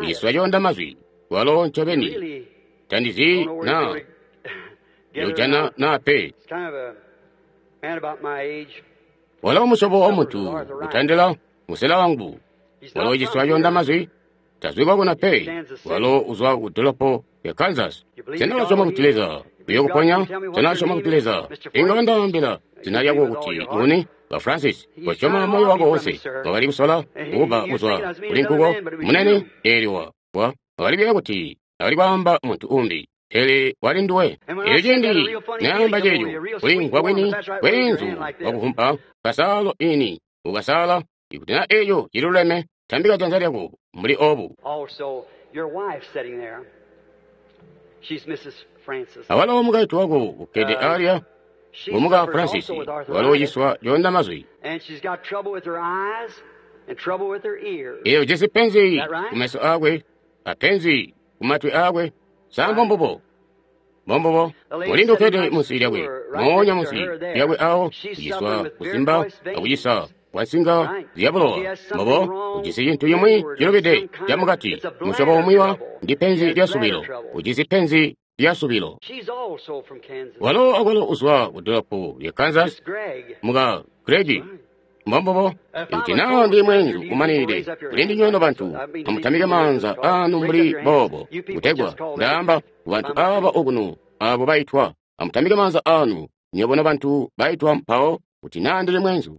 uciswa coonda mazwi, walo ncobeni tandizi naa ndiyojana naa pe. Walo musyobo wa muntu utandila musela wangu, walo uciswa coonda mazwi, tazwi kwakuna pe, walo uzwa ku dolopo ya Kansas. Sena ulasyoma kuti Leza uyokuponya? Sena ulasyoma kuti Leza inga wandaambila zina lyako kuti nguni? Ba Francis, kosyoma moyo wako wonse. Wakali kusola kuba kuzwa kuli nkuko munene eelyo wa wakali kuyeeya kuti akali kwaamba muntu umbi, pele wali nduwe. Eelyo ciindi naamba ceeco, kulimvwa kwini kweenzu wakuvumpa kasaalo ini ukasaala. Ikuti naa eeco ciluleme, tambika janza lyako mbuli obu. Awalo mukaintu wako ukkede alya, ngumuka Francis, walo uciswa coonda mazwi. Eyo ujisi penzi kumeso aakwe apenzi kumatwi aakwe. Sa mbombubo? Mbombubo. Mulindu ukkede munsi lyakwe, moonya munsi lyakwe awo, uciswa kusimba akucisa kwa nsinga zyabulowa. Mbobo, ujisi cintu cimwi cilubide camukati, musyobo umwi wa ndi penzi lya subilo. Ujisi penzi lya subilo. Walo akwalo uzwa ku dolopo lya Kansas, muka Gregi. Mbombubo. Ikuti naa ndi mweenzu umanide kuli ndinywe nobantu, amutamike maanza aanu mbuli boobo, kutegwa ndaamba kubantu aaba okuno abo baitwa. Amutamike maanza aanu nywebo nobantu baitwa mpawo, kuti naa ndili mweenzu.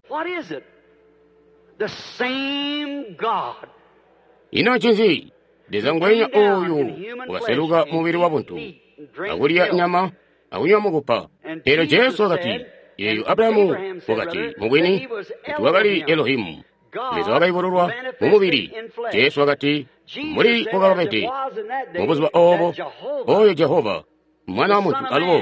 Ino ncinzi? Leza ngwenya ooyu wakaseluka mubili wabuntu, akulya nyama akunywa mukupa. Eelyo Jesu wakati, Eyo Abrahamu wakati, mubwini, kuti wakali Elohimu, Leza wakayubululwa mu mubili. Jesu wakati, mbuli wakabede mubuzuba obo, oyo Jehova, Mwana wa muntu alubo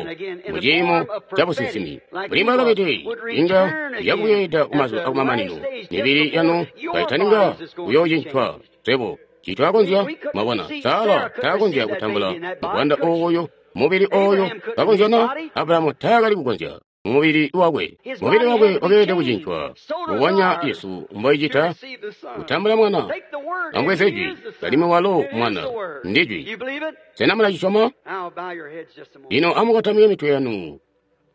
mu ciimo ca businsimi, mbuli mbwakabede, inga yakubweeda kumazuba akumamanino, mibili yanu kaitaninga kuyoocincwa. Swebo titwakonzya, mwabona, Sara taakonzya kutambula muvwanda oyo, mubili oyo kakonzya na Abrahamu taakali kukonzya mumubili wakwe. Mubili wakwe wakeelede kucincwa, mbubonya Yesu mboicita kutambula Mwana. Ambweze Jwi, alimwi walo Mwana ndi Jwi. Sena mulacisyoma? Lino amukotamike mitwe yanu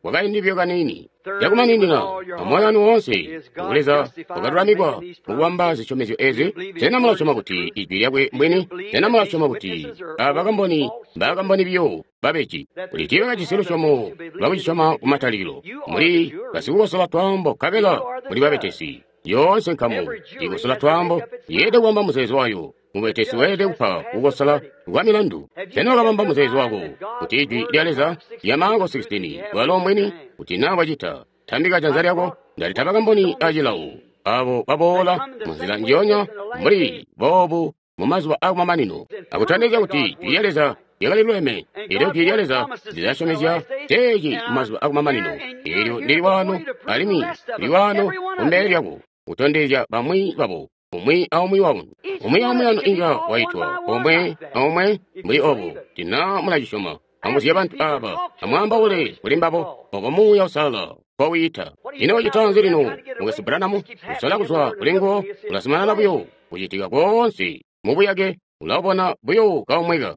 kwakaindi buyo kaniini. Cakumaninina amoyo wanu woonse, Leza wakalulamikwa mukubamba zisyomezyo ezi. Sena mulasyoma kuti Ijwi lyakwe mbwini? Sena mulasyoma kuti aba bakamboni mbaakamboni biyo babeji, kuti tiibakajisi lusyomo lwakucisyoma kumatalikilo? Muli basikukosola twaambo nkabela muli babetesi. Yoonse nkamu ikosola twaambo yeelede kubamba muzeezo wayo. Mubetesi weelede kupa kukosola kwa milandu. Sena wakabamba muzeezo wako kuti Ijwi lya Leza lya Marko 16 bwalo mbwini? Kuti naa wacita, tambika janza lyako. Ndalita bakamboni acilawo abo baboola munzila njionya mbuli boobu mu mazuba akumamanino, akutondezya kuti Ijwi lya Leza lyakali luleme. Elyo Jwi lya Leza lilasyomezya ceeci mu mazuba akumamanino. Elyo ndili waano, alimwi ndili waano kumbele lyako, kutondezya bamwi babo. Umwi aumwi wanu, umwi aumwi wanu inga waitwa omwe aomwe mbuli obo. Tina mulacisyoma, amuzye bantu aba, amwaambaule kuli mbabo oko Muuya Uusalala nkowiyita. Ino wacita nzi lino, Mukwesu Branham? Usola kuzwa kuli nguwo, ulazumanana buyo kucitika koonse mubuyake, ulabona buyo kaumweka.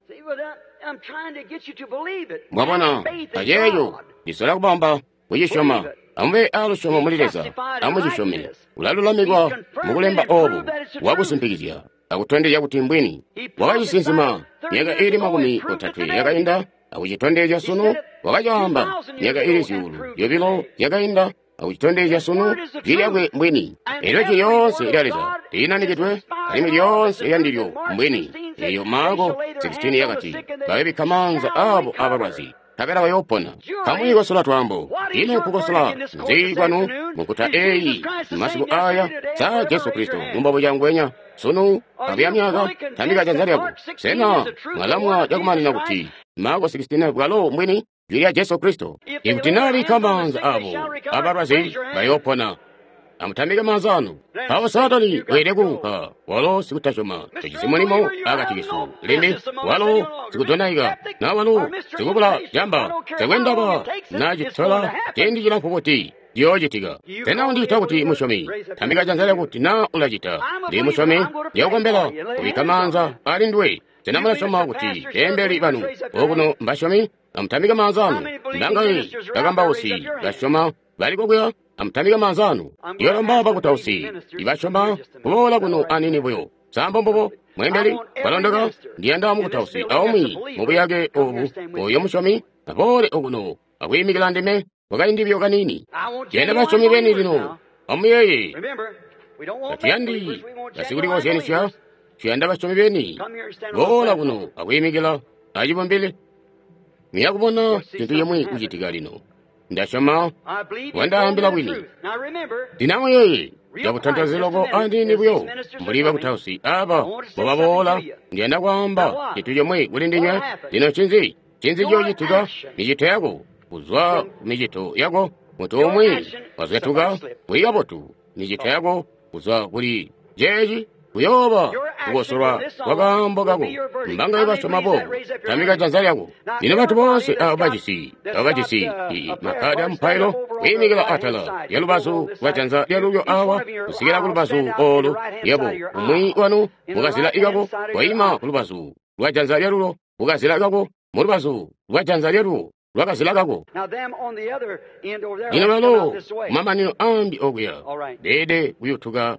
Mwabona, aceeco ndisola kubamba kucisyoma. Amube alusyomo muli Leza, amucisyome. Ulalulamikwa mukulemba obu, wakusimpikizya akutondezya kuti mbwini. Wakacisinsima myaka iili 30 yakainda, akucitondezya sunu. Wakacaamba myaka iili 2,000 yakainda, akucitondezya sunu. Jwi lyakwe mbwini. Elyo Jwi lyoonse lya Leza linanikidwe, alimwi lyoonse lyandilyo mbwini. Eyo Marko 16 yakati, bayobikka maanza abo abalwazi, nkabela bayoopona. Kamwiikosola twaambo. Ino nkukosola nzi kwanu mukuta eyi masiku aya? Sa Jesu Kristo mumbobo cangwenya sunu abuya myaka? Tambika janza lyako. Sena mwalamwa cakumanina kuti Marko 16 bwalo mbwini, Jwi lya Jesu Kristo? Ikuti nabikka maanza abo abalwazi bayoopona. Amutambike maanza anu. Mpawo Saatani weelede kuunka. Walo sikutasyoma, tojisi mulimo akati kesu limbi. Walo sikudonaika, na walo sikubula jamba. Takwe ndaba na citola ciindi cilamfu buti, ciyoocitika. Sena undiita kuti musyomi? Tambika janza lyako kuti na ulacita. Ndi musyomi, ndiyokukombela kubikka maanza ali nduwe. Sena mulasyoma kuti beembeli banu okuno mbasyomi? Amutambike maanza anu. Mbangaye bakambausi basyoma bali kokuya? Amutambike maanza anu. Ndiyolomba bakutausi ibasyoma kuboola kuno anini buyo. Sambo mbubo mweembeli balondoka. Ndiyanda mukutausi aumwi mubuyake obu oyo musyomi aboole okuno akwiimikila ndime kwakaindi buyo kaniini. Ndiyanda basyomi beni lino. Amuyeeye, tatuyandi basikulikozyanisya, tuyanda basyomi beni. Boola kuno akwiimikila acibumbili. Muyakubona cintu cimwi kucitika lino. Ndasyoma wandaambila bwini. Ndinamuyeeye cakutantazi loko andini buyo mbuli bakutausi aba mbobaboola. Ndiyanda kwaamba cintu cimwi kuli ndinywe. Lino ncinzi? Ncinzi ciyoocitika? Micito yako, kuzwa kumicito yako, muntu umwi wazwetuka kuli kabotu. Micito yako kuzwa kuli ceeci kuyooba kukosolwa kwa kaambo kako. Mbangaye basyoma boobo? Tambika janza lyako. Lino bantu boonse abo bajisi makkadi amupailo, kwiimikila atala lya lubazu lwa janza lyalulyo awa kusikila ku lubazu olu. Yebo, umwi wanu mukazila ikako, waima ku lubazu lwa janza lyalulyo, mukazila kako, mu lubazu lwa janza lyalulyo lwakazila kako. Lino balo kumamanino ambi okuya beelede kuyutuka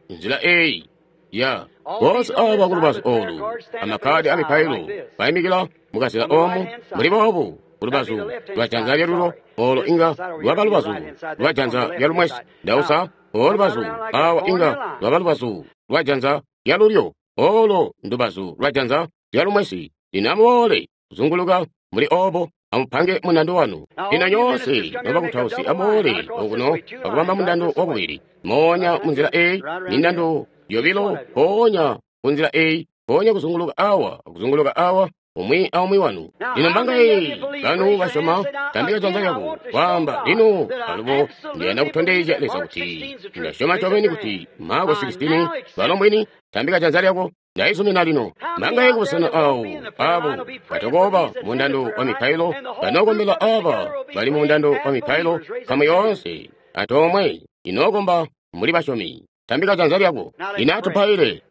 nzila eyi ya boonse aba ku lubazu olu amakkadi amipailo baimikila mukazila omu muli boobu ku lubazu lwa janza lyalulyo, olo inga lwaba lubazu lwa janza lyalumwesi. Ndausa, olu lubazu awa inga lwaba lubazu lwa janza lyalulyo, olo ndubazu lwa janza lyalumwesi. Lino amuboole. kuzunguluka mbuli obo, amupange mundando wanu. Lino nyoonse nobakutausi amuboole okuno akubamba mundando wakubili. Moonya munzila eyi, mindando yobilo, mpoonya kunzila eyi, mpoonya kuzunguluka awa, kuzunguluka awa, umwi aumwi wanu. Lino mbangaye banu basyoma, tambika janza lyako, kwaamba, lino alubo ndiyanda kutondezya Leza kuti ndasyoma ncobeni kuti Marko 16 balo mbwini. Tambika janza lyako, ndaizumina lino. Mbangaye kubusena awo abo batokoba mundando wa mipailo, banokombela aba bali mu mundando wa mipailo, nkamu yoonse antoomwe inookomba mbuli basyomi. Tambika janza lyako. Lino atupaile.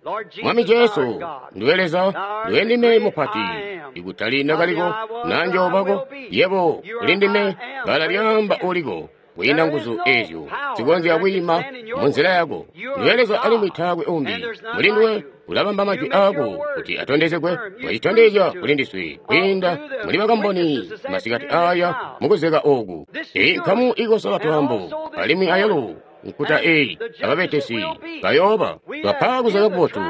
Mwami Jesu, nduwe Leza, nduwe ndime mupati, ikutali ndakaliko na njoobako, yebo uli ndime, bbala lyaamba uliko, kwiinda nguzu ezyo zikonzya kwiima munzila yako. Nduwe Leza alimwi taakwe umbi. Muli nduwe ulabamba majwi aako kuti atondezegwe, wacitondezya kuli ndiswe kwiinda muli bakamboni masikati aya mukuzeka oku. Eyi nkamu ikosola twaambo alimwi ayalo nkuta eyi ababetesi bayooba. Twapa kuzeka kubotu,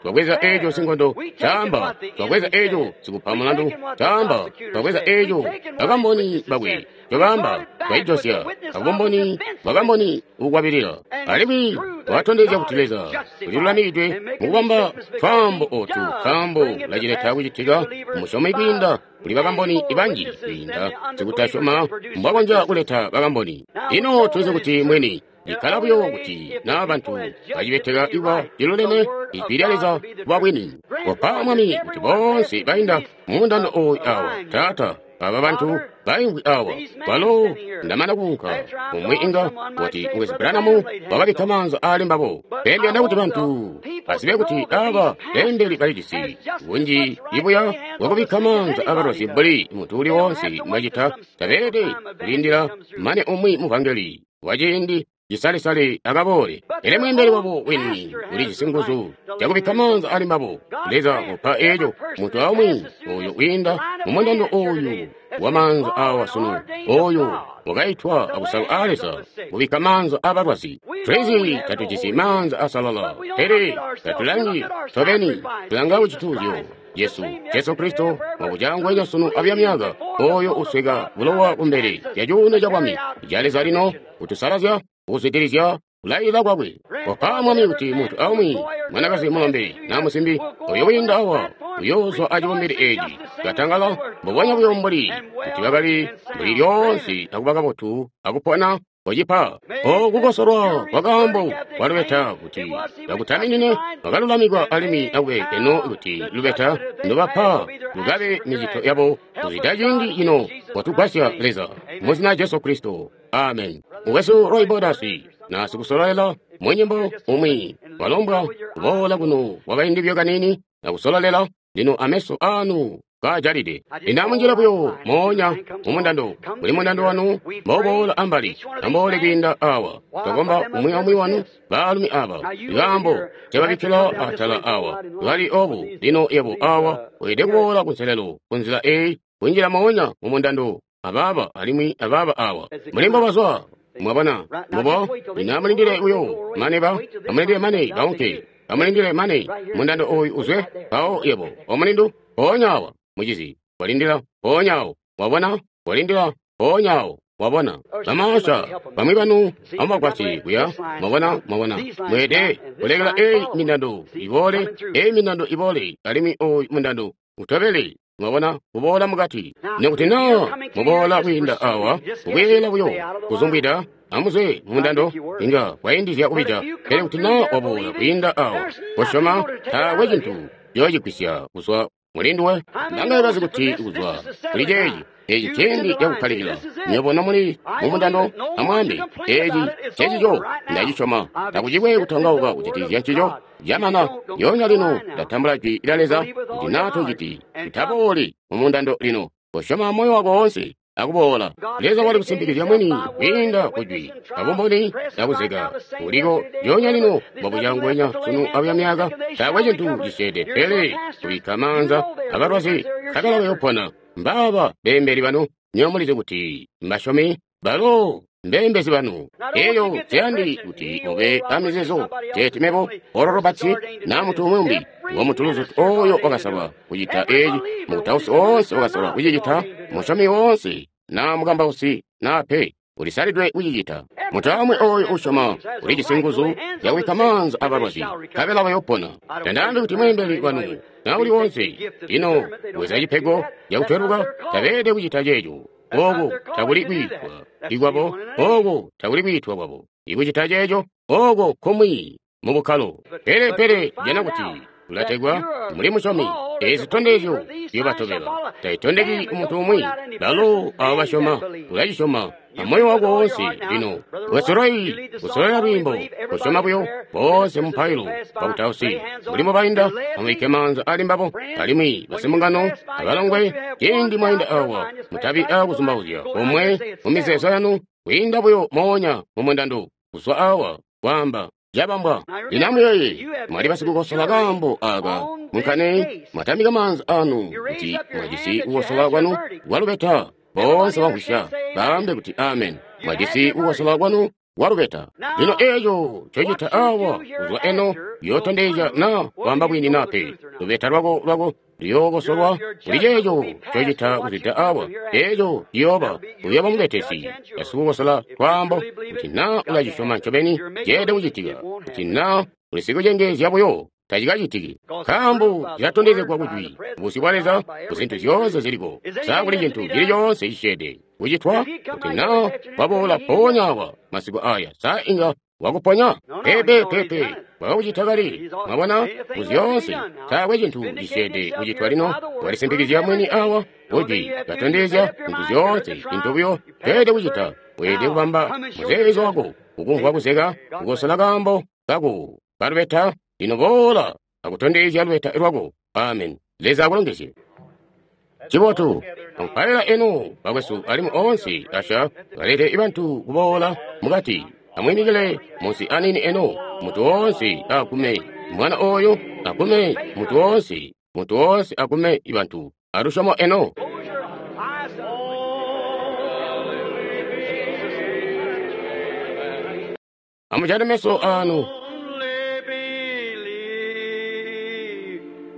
twabweza eco sinkondo caamba, twabweza eco sikupa mulandu caamba, twabweza eco bakamboni bakwe cobaamba, twaijosya abumboni bakamboni bukwabilila. Alimwi twatondezya kuti Leza ulilulamikidwe mukubamba twaambo otu, nkaambo ulacileta kucitika musyomi kwiinda kuli bakamboni banji kwiinda sikutasyoma mbwakonzya kuleta bakamboni. Lino tulizi kuti mwini ikkala buyo kuti na bantu bacibeteka kuba ciluleme ijwi lya Leza kuba bwini. Kopa Mwami kuti boonse bainda mumundando oyu awa, Taata, aba bantu baimvwi awa, balo ndamana kuunka, umwi inga wati Mukwesu Branham wakabikka maanza aali mbabo. Pele ndiyanda kuti bantu bazibe kuti aba beembeli balijisi bunji ibuya bwakubikka maanza abalwazi mbuli muntu uli woonse mbwacita. Tabeelede kulindila mane umwi muvangeli waciindi cisalisali akaboole. Pele mweembeli wabo wini ulijisi nguzu zyakubikka maanza ali mbabo. Leza upa eco muntu aumwi oyo wiinda mumundando oyu wa maanza awa sunu, oyo wakaitwa akusalwa a Leza kubikka maanza abalwazi. Tulizi tatujisi maanza asalala, pele tatulangi tobeni, tulanga kucituuzyo Yesu, Jesu Kristo wakucangwenya sunu abya myaka, oyo usweka bulowa kumbele lya cuuno ca bwami ca Leza lino kutusalazya, kuzwidilizya kulayila kwakwe. Kopa Mwami kuti muntu aumwi, mwanakazi mulombe na musimbi, oyo wiinda awa uyoozwa acibumbili eci katangala mbubonya buyo mbuli kuti bakali mbuli lyoonse akuba kabotu akupona. Kocipa okukosolwa kwa kaambo kwa lubeta kuti bakutaminine bakalulamikwa alimwi akube eno kuti lubeta ndobapa lukabe micito yabo kuzwida ciindi cino. Watugwasya Leza muzina Jesu Kristo, amen. Mukwesu Roy Borders na sikusololela munyimbo umwi walombwa kuboola kuno kwakaindi buyo kaniini na kusololela lino ameso anu kajalide. Lino amunjile buyo moonya mumundando, muli mundando wanu mboboola ambali, amboole kwiinda awa. Twakomba umwi aumwi wanu baalumi aba, ikaambo cababikkila atala awa kali obu. Lino yebo awa weelede kuboola kunselelo kunzila eyi, kunjila moonya mumundando abaaba alimwi abaaba awa muli mbobazwa. Mwabona mubo? Lino amulindile buyo mane ba, amulindile mane baunke, amulindile mane mundando oyu uzwe. Mpawo yebo omulindu mpoonya awa, mucizi, walindila mpoonya awo. Wabona, walindila mpoonya awo. Wabona bamaasha bamwi banu amubagwasye kuya. Mwabona, mwabona, mweede kulekela eyi mindando iboole, eyi mindando iboole, alimwi oyu mundando utobele. Mwabona, kuboola mukati. Nekuti na muboola kwiinda awa, kubweela buyo kuzumbwida, amuzwe mundando, inga kwaindizya kubija. Pele kuti na waboola kwiinda awa, kosyoma, taakwe cintu yoocigwisya kuzwa mulinduwe. Ndanga kazi kuti kuzwa kuli ceeci, eci ciindi cakukkalikila. Nywebo nomuli mumundando, amwaambe, eci cecico ndacisyoma. Takucikwe kutongauka kujatikizya ncico. Camana, lyoonya lino ndatambula jwi lya Leza kuti naa tociti, utabooli mumundando lino. Kosyoma moyo wako woonse akuboola. Leza wali kusimpikizya mwini kwiinda kujwi abumboni nakuzeka uliko lyoonya lino mwakucangwenya sunu abuya myaka. Taakwe cintu cisyeede pele kubikka maanza abalwazi nkabela bayopona. Mbaaba beembeli banu, nywebo mulizi kuti mbasyomi balo. mbeembezi banu. Elyo nseyandi kuti mube amizeezo teeti mebo, Oral Roberts, na muntu umwi umbi, ngo muntu luzutu oyo wakasalwa kucita eci, mukutausi oonse wakasalwa kucicita, musyomi woonse, na mukambausi, na pe, ulisalidwe kucicita. Muntu amwi oyo usyoma ulijisi nguzu zyakubikka maanza abalwazi, nkabela bayopona. Tandaambi kuti mweembeli wanu na uli wonse, lino bweza cipego cakutweluka, tabeelede kucita ceeco. Ooko takuli kwiitwa ikwabo, ooko takuli kwiitwa kwabo. Ikucita ceeco, ooko kumwi mu bukkalo. Pele pele jana kuti ulategwa muli musyomi. Ezi zitondezyo ziyobatobela. Taitondeki muntu umwi, balo abo basyoma, ulacisyoma amoyo wako woonse. Lino wesoloi kusololela lwiimbo, kusyoma buyo boonse mupailo bakutausi muli mubainda, amubikke maanza ali mbabo, alimwi basimbungano abalongwe. Ciindi mwainda awa, mutabi aakuzumbauzya omwe mu mizeezo yanu, kwiinda buyo moonya mu mundando kuzwa awa kwaamba cabambwa. Lino amuyeeye, mwali basikukosola kaambo aka munkane, mwatambika maanza anu kuti mwajisi kukosola kwanu kwalubeta. Boonse bamvwisya baambe kuti amen. Mwajisi kukosola kwanu kwalubeta. Lino eeco ncocita awa kuzwa eno yootondezya na kwaamba bwini na pe. Lubeta lwako lwako luyookosolwa kuli ceeco ncocita kuzwida awa. Eeco ciyooba uyooba mubetesi basikukosola twaambo kuti na ulacisyoma ncobeni ceelede kucitika, kuti na ulisikucengeezya buyo tacikacitiki. Nkaambo cilatondezegwa kujwi busyu bwa Leza kuzintu zyoonse ziliko. Sa kuli cintu cili coonse cisyeede kucitwa? Kuti na waboola mpoonya awa masiku aya, sa inga wakuponya? Pepe, pepe, wakakucita kale. Mwabona, kuzyoonse taakwe cintu cisyeede kucitwa lino. Walisimpikizya mwini awa kujwi katondezya zintu zyoonse. Cintu buyo ceelede kucita, weelede kubamba muzeezo wako kukumvwa kuzeka kukosola kaambo kako kalubeta. Lino boola akutondezya lubeta lwako. Amen. Leza akulongezye. Cibotu amupaila eno bakwesu alimwi oonse asha balete bantu kuboola mukati. Amwiimikile munsi anini eno, muntu woonse agume mwana oyo, agume muntu woonse, muntu woonse agume bantu alusyomo eno. Amujate meso anu. Only believe,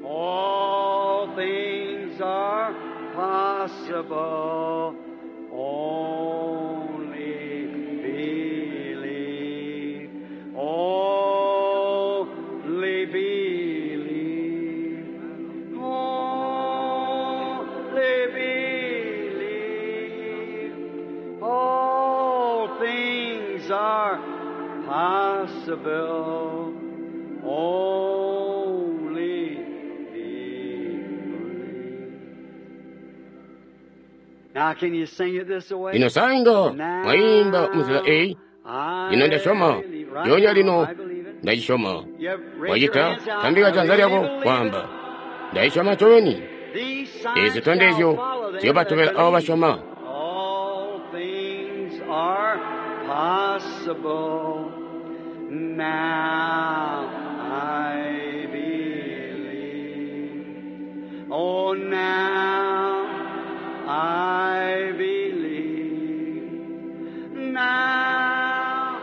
all things are possible. Only believe, only believe, only believe. All things are possible. Only believe. Now, can you sing it this way? Lino sainga mwayimba munzila eyi. Lino ndasyoma lyonya lino ndacisyoma. Wacita tambika janza lyako kwaamba ndayisyoma ncobeni. Ezi zitondezyo ziyobatobela abo basyoma. All things are possible. Now I believe. Oh, now I believe. Now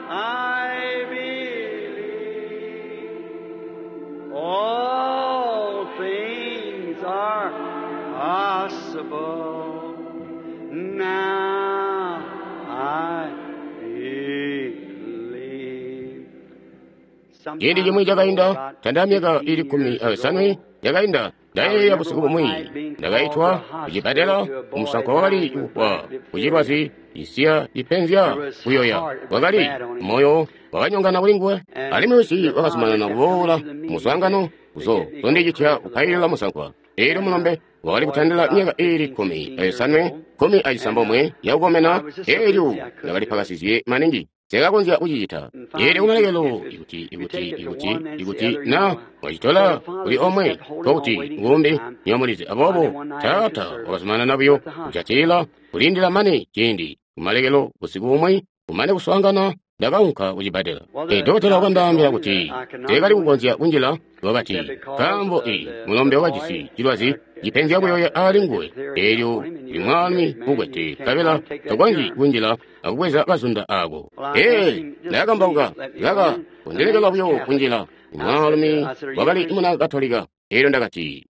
I believe. All things are possible. Now I believe. Ciindi cimwi cakainda, tanda myaka ili 15 yakainda, ndayeeya busiku bumwi ndakaitwa kucibbadela kumusankwa wakali kufwa kucilwazi cisiya cipenzya kuyoya. Wakali moyo wakanyongana kuli nguwe, alimwi wisi wakazumanana kuboola kumuswaangano kuzo zondicitya kupailila musankwa. Eelyo mulombe wakali kutandila myaka ili 15, 16 yakukomena. Eelyo ndakalipakasizye maningi sekakonzya kucicita. Eelyo kumalekelo ikuti na wacitola kuli omwe nkokuti ngumbi niyomulizi. Aboobo taata wakazumanana buyo kucatila kulindila mane ciindi. Kumalekelo busiku bumwi kumane kuswaangana ndakaunka kucibbadela. Dokotela wakandaambila kuti teekali kukonzya kunjila. Wakati nkaambo mulombe wakajisi cilwazi cipenzya kuyoya aali nguwe. Eelyo uli mwaalumi ukwete, nkabela tokonzyi kunjila akubweza kazunda aako. Ee, ndakambauka, kaka kundilekela buyo kunjila. Mwaalumi wakali muna Katolika. Eelyo ndakati,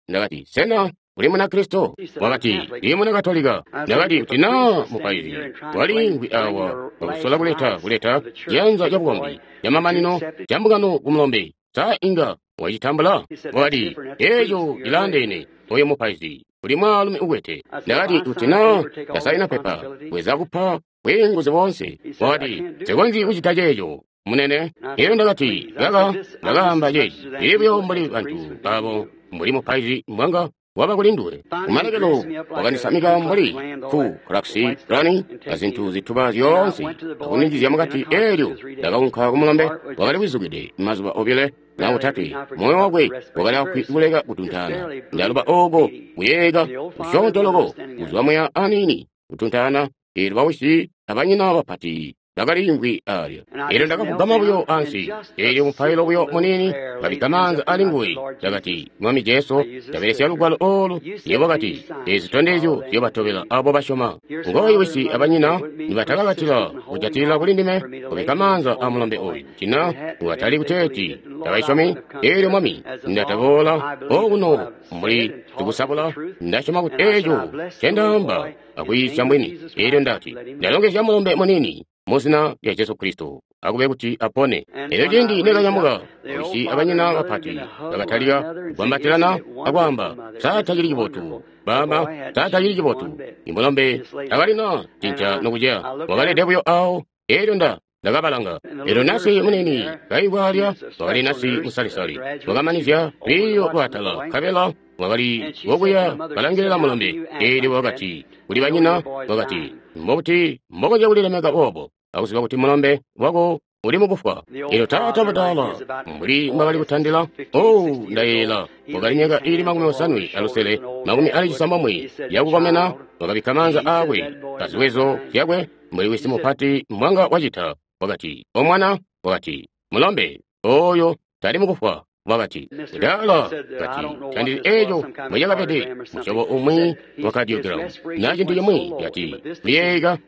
sena uli muna Kristo? Wakati, ndi muna Katolika. Ndakati, kuti naa mupaizi waliimvwi awa wakusola kuleta ciyanza cabukombi camamanino ca mbungano ku mulombe, sa inga wacitambula? Wakati, eeco cilaandeene, oyo mupaizi uli mwaalumi ukwete. Ndakati, kuti naa ndasaina pepa, bweza kupa bwiinguzi boonse. Wakati, nsikonzyi kucita ceeco, munene. Eelyo ndakati, kaka ndakaamba ceeci, ndili buyo mbuli bantu abo, mbuli mupaizi mbwanga waba kuli nduwe. Kumalekelo wakandisamika mbuli ku Klux Klan azintu zituba zyoonse akundinjizya mukati. Eelyo ndakaunka kumulombe, wakali wizukide mazuba obile na otatwe, moyo wakwe wakali afwi kuleka kutuntaana. Ndaluba ooko kuyeeka kusyoonto loko kuzwa muya aniini kutuntaana. Eelyo bawisi abanyina bapati bakaliimvwi aalya. Eelyo ndakafugama buyo ansi, eelyo mupailo buyo muniini, kabikka maanza ali nguwe. Ndakati, Mwami Jesu, ndabelesya lugwalo oolu. Yebo wakati, eezi zitondezyo ziyobatobela abo basyoma. Ngooyu wisi abanyina nibatakakatila kujatilila kuli ndime, kubikka maanza a mulombe oyu, tina watali kuteeti tabaisyomi. Eelyo Mwami, ndataboola okuno mbuli sikusabula, ndasyoma kuti eeco ncendaamba akwiisya mbwini. Eelyo ndati, ndalongezya mulombe muniini muzina lya Jesu Kristo, akube kuti apone. Eelyo ciindi nekanyamuka, wisi abanyina bapati bakatalika kugwambatilana akwaamba, sa tacili cibotu, baama, sa tacili cibotu. Imulombe takalina cinca nokuceya, wakalede buyo awo. Eelyo ndakabalanga. Eelyo nasi munini kaimvwi alya, wakali nasi musalisali, wakamanizya lwiiyo lwaatala, nkabela wakali wokuya kalangilila mulombe. Eelyo wakati kuli banyina, wakati, mbobuti mbokonzya kulilemeka boobo akuziba kuti mulombe wako uli mukufwa? Eelyo taata mudaala mbuli mbwakali kutandila, oh, ndayeeyela wakali myaka iili 56, 69 yakukomena, wakabikka maanza aakwe paziwezo zyakwe mbuli wisi mupati mbwanga wacita. Wakati, o mwana, wakati, mulombe oyo tali mukufwa. Wakati, mudaala, kati, tandili eeco mbwecakabede, musyobo umwi wa kadiogiramu na cintu cimwi, kati, kuyeeyeka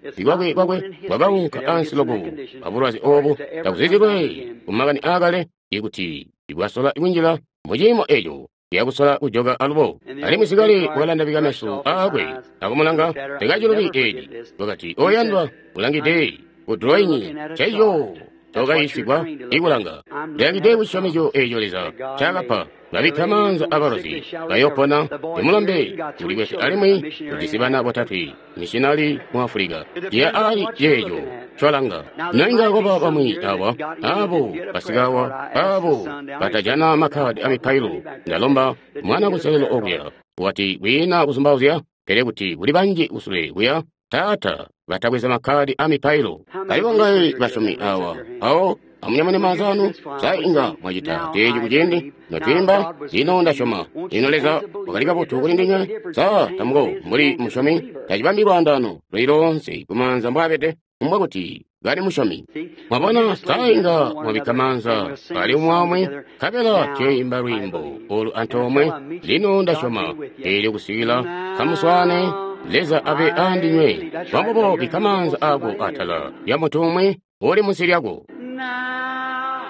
kwakwe kwakaunka ansi loko abulwazi obu takuzizilwe kumakani aakale, ikuti ibwasola kunjila muciimo eeco yakusola kujoka alubo. Alimwi sikale wakalandabika meso aakwe akumulanga, tekacilubi eeci. Wakati, oyandwa, ulangide ku drawing caiyo tokayiisigwa ikulanga. Ndilangide kucisyomezyo eeco Leza ncaakapa, babikka maanza abalozi bayopona. Imulombe ulikwete alimwi ujisi bana botatwe, mishinali mu Afulika. Ciya ali ceeco ncolanga. Noinga kwaba bamwi awa, abo basikawa, abo batajana makhadi amipailo, ndalomba mwana kunselelo okuya, wati kwiina kuzumbauzya, pele kuti kuli banji kusule kuya, taata batabweza makhadi amipailo. Bali bongaye basyomi awa, awo amunyamune maanza anu, sa inga mwacita teeci kuciindi notwiimba, lino ndasyoma. Lino Leza wakali kabotu kuli ndinywe, sa tamuko mbuli musyomi, tacibambi lwaandaano luli loonse kumaanza mbwaabede, mbwa kuti kali musyomi. Mwabona, sa inga mwabikka maanza ali umwi nkabela tuyoimba lwiimbo olu antoomwe, lino ndasyoma. Eelyo kusikila kamuswaane, Leza abe andinywe. Bambobo bikka maanza aako atala lya muntu umwi uli munsi lyako. Now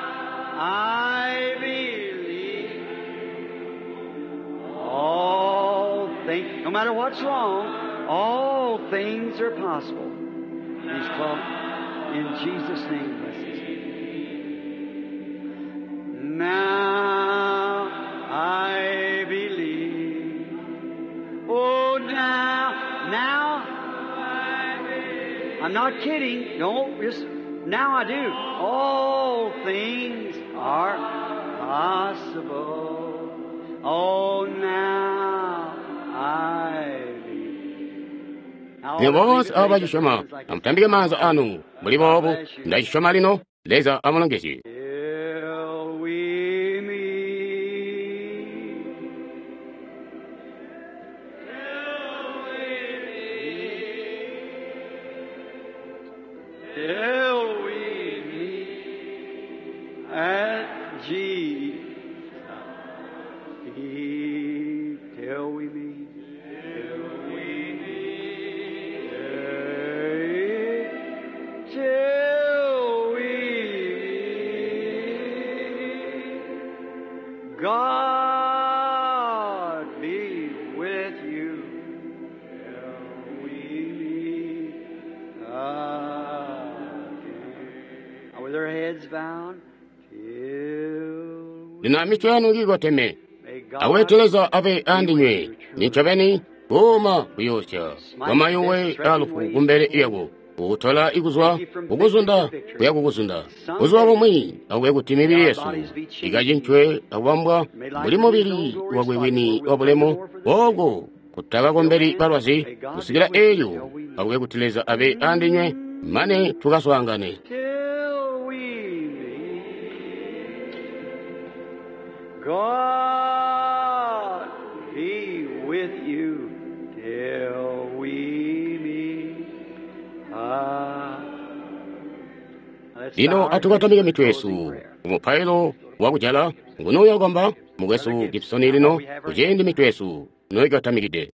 I believe all things, no matter what's wrong, all things are possible. He's called in Jesus' name. Bless us. Now I believe. Oh, now I'm not kidding. No, just now I do. All things are possible. Oh, now I believe. Now, Lino boonse abo all the bacisyoma, amutambike maanza anu mbuli boobu, ndacisyoma lino, Leza amulongezye. Till we meet. Till we meet at Jesus' feet. Till we meet. God be with you till we meet again. Now with our heads bowed, till we Lino amitwe yanu kiikoteme. may God Awete Leza abe andinywe. Nincobeni kuuma kuyoosya kwamayuwe alufu kumbele lyako. Kukutola ikuzwa kukuzunda kuya kukuzunda. Buzuba bumwi akube kuti mibili yesu ikacincwe akubambwa mbuli mubili wakwe wini wabulemu ooko kutakakombeli balwazi kusikila eelyo akube kuti Leza abe andinywe mane tukaswaangane. till we meet. God be with you till we meet. Let's bow Lino our heads atukatamike in mitwe closing yesu prayer. kumupailo wakujala ngunuyo kwamba mukwesu Gibson lino kuciindi mitwe yesu noikatamikide.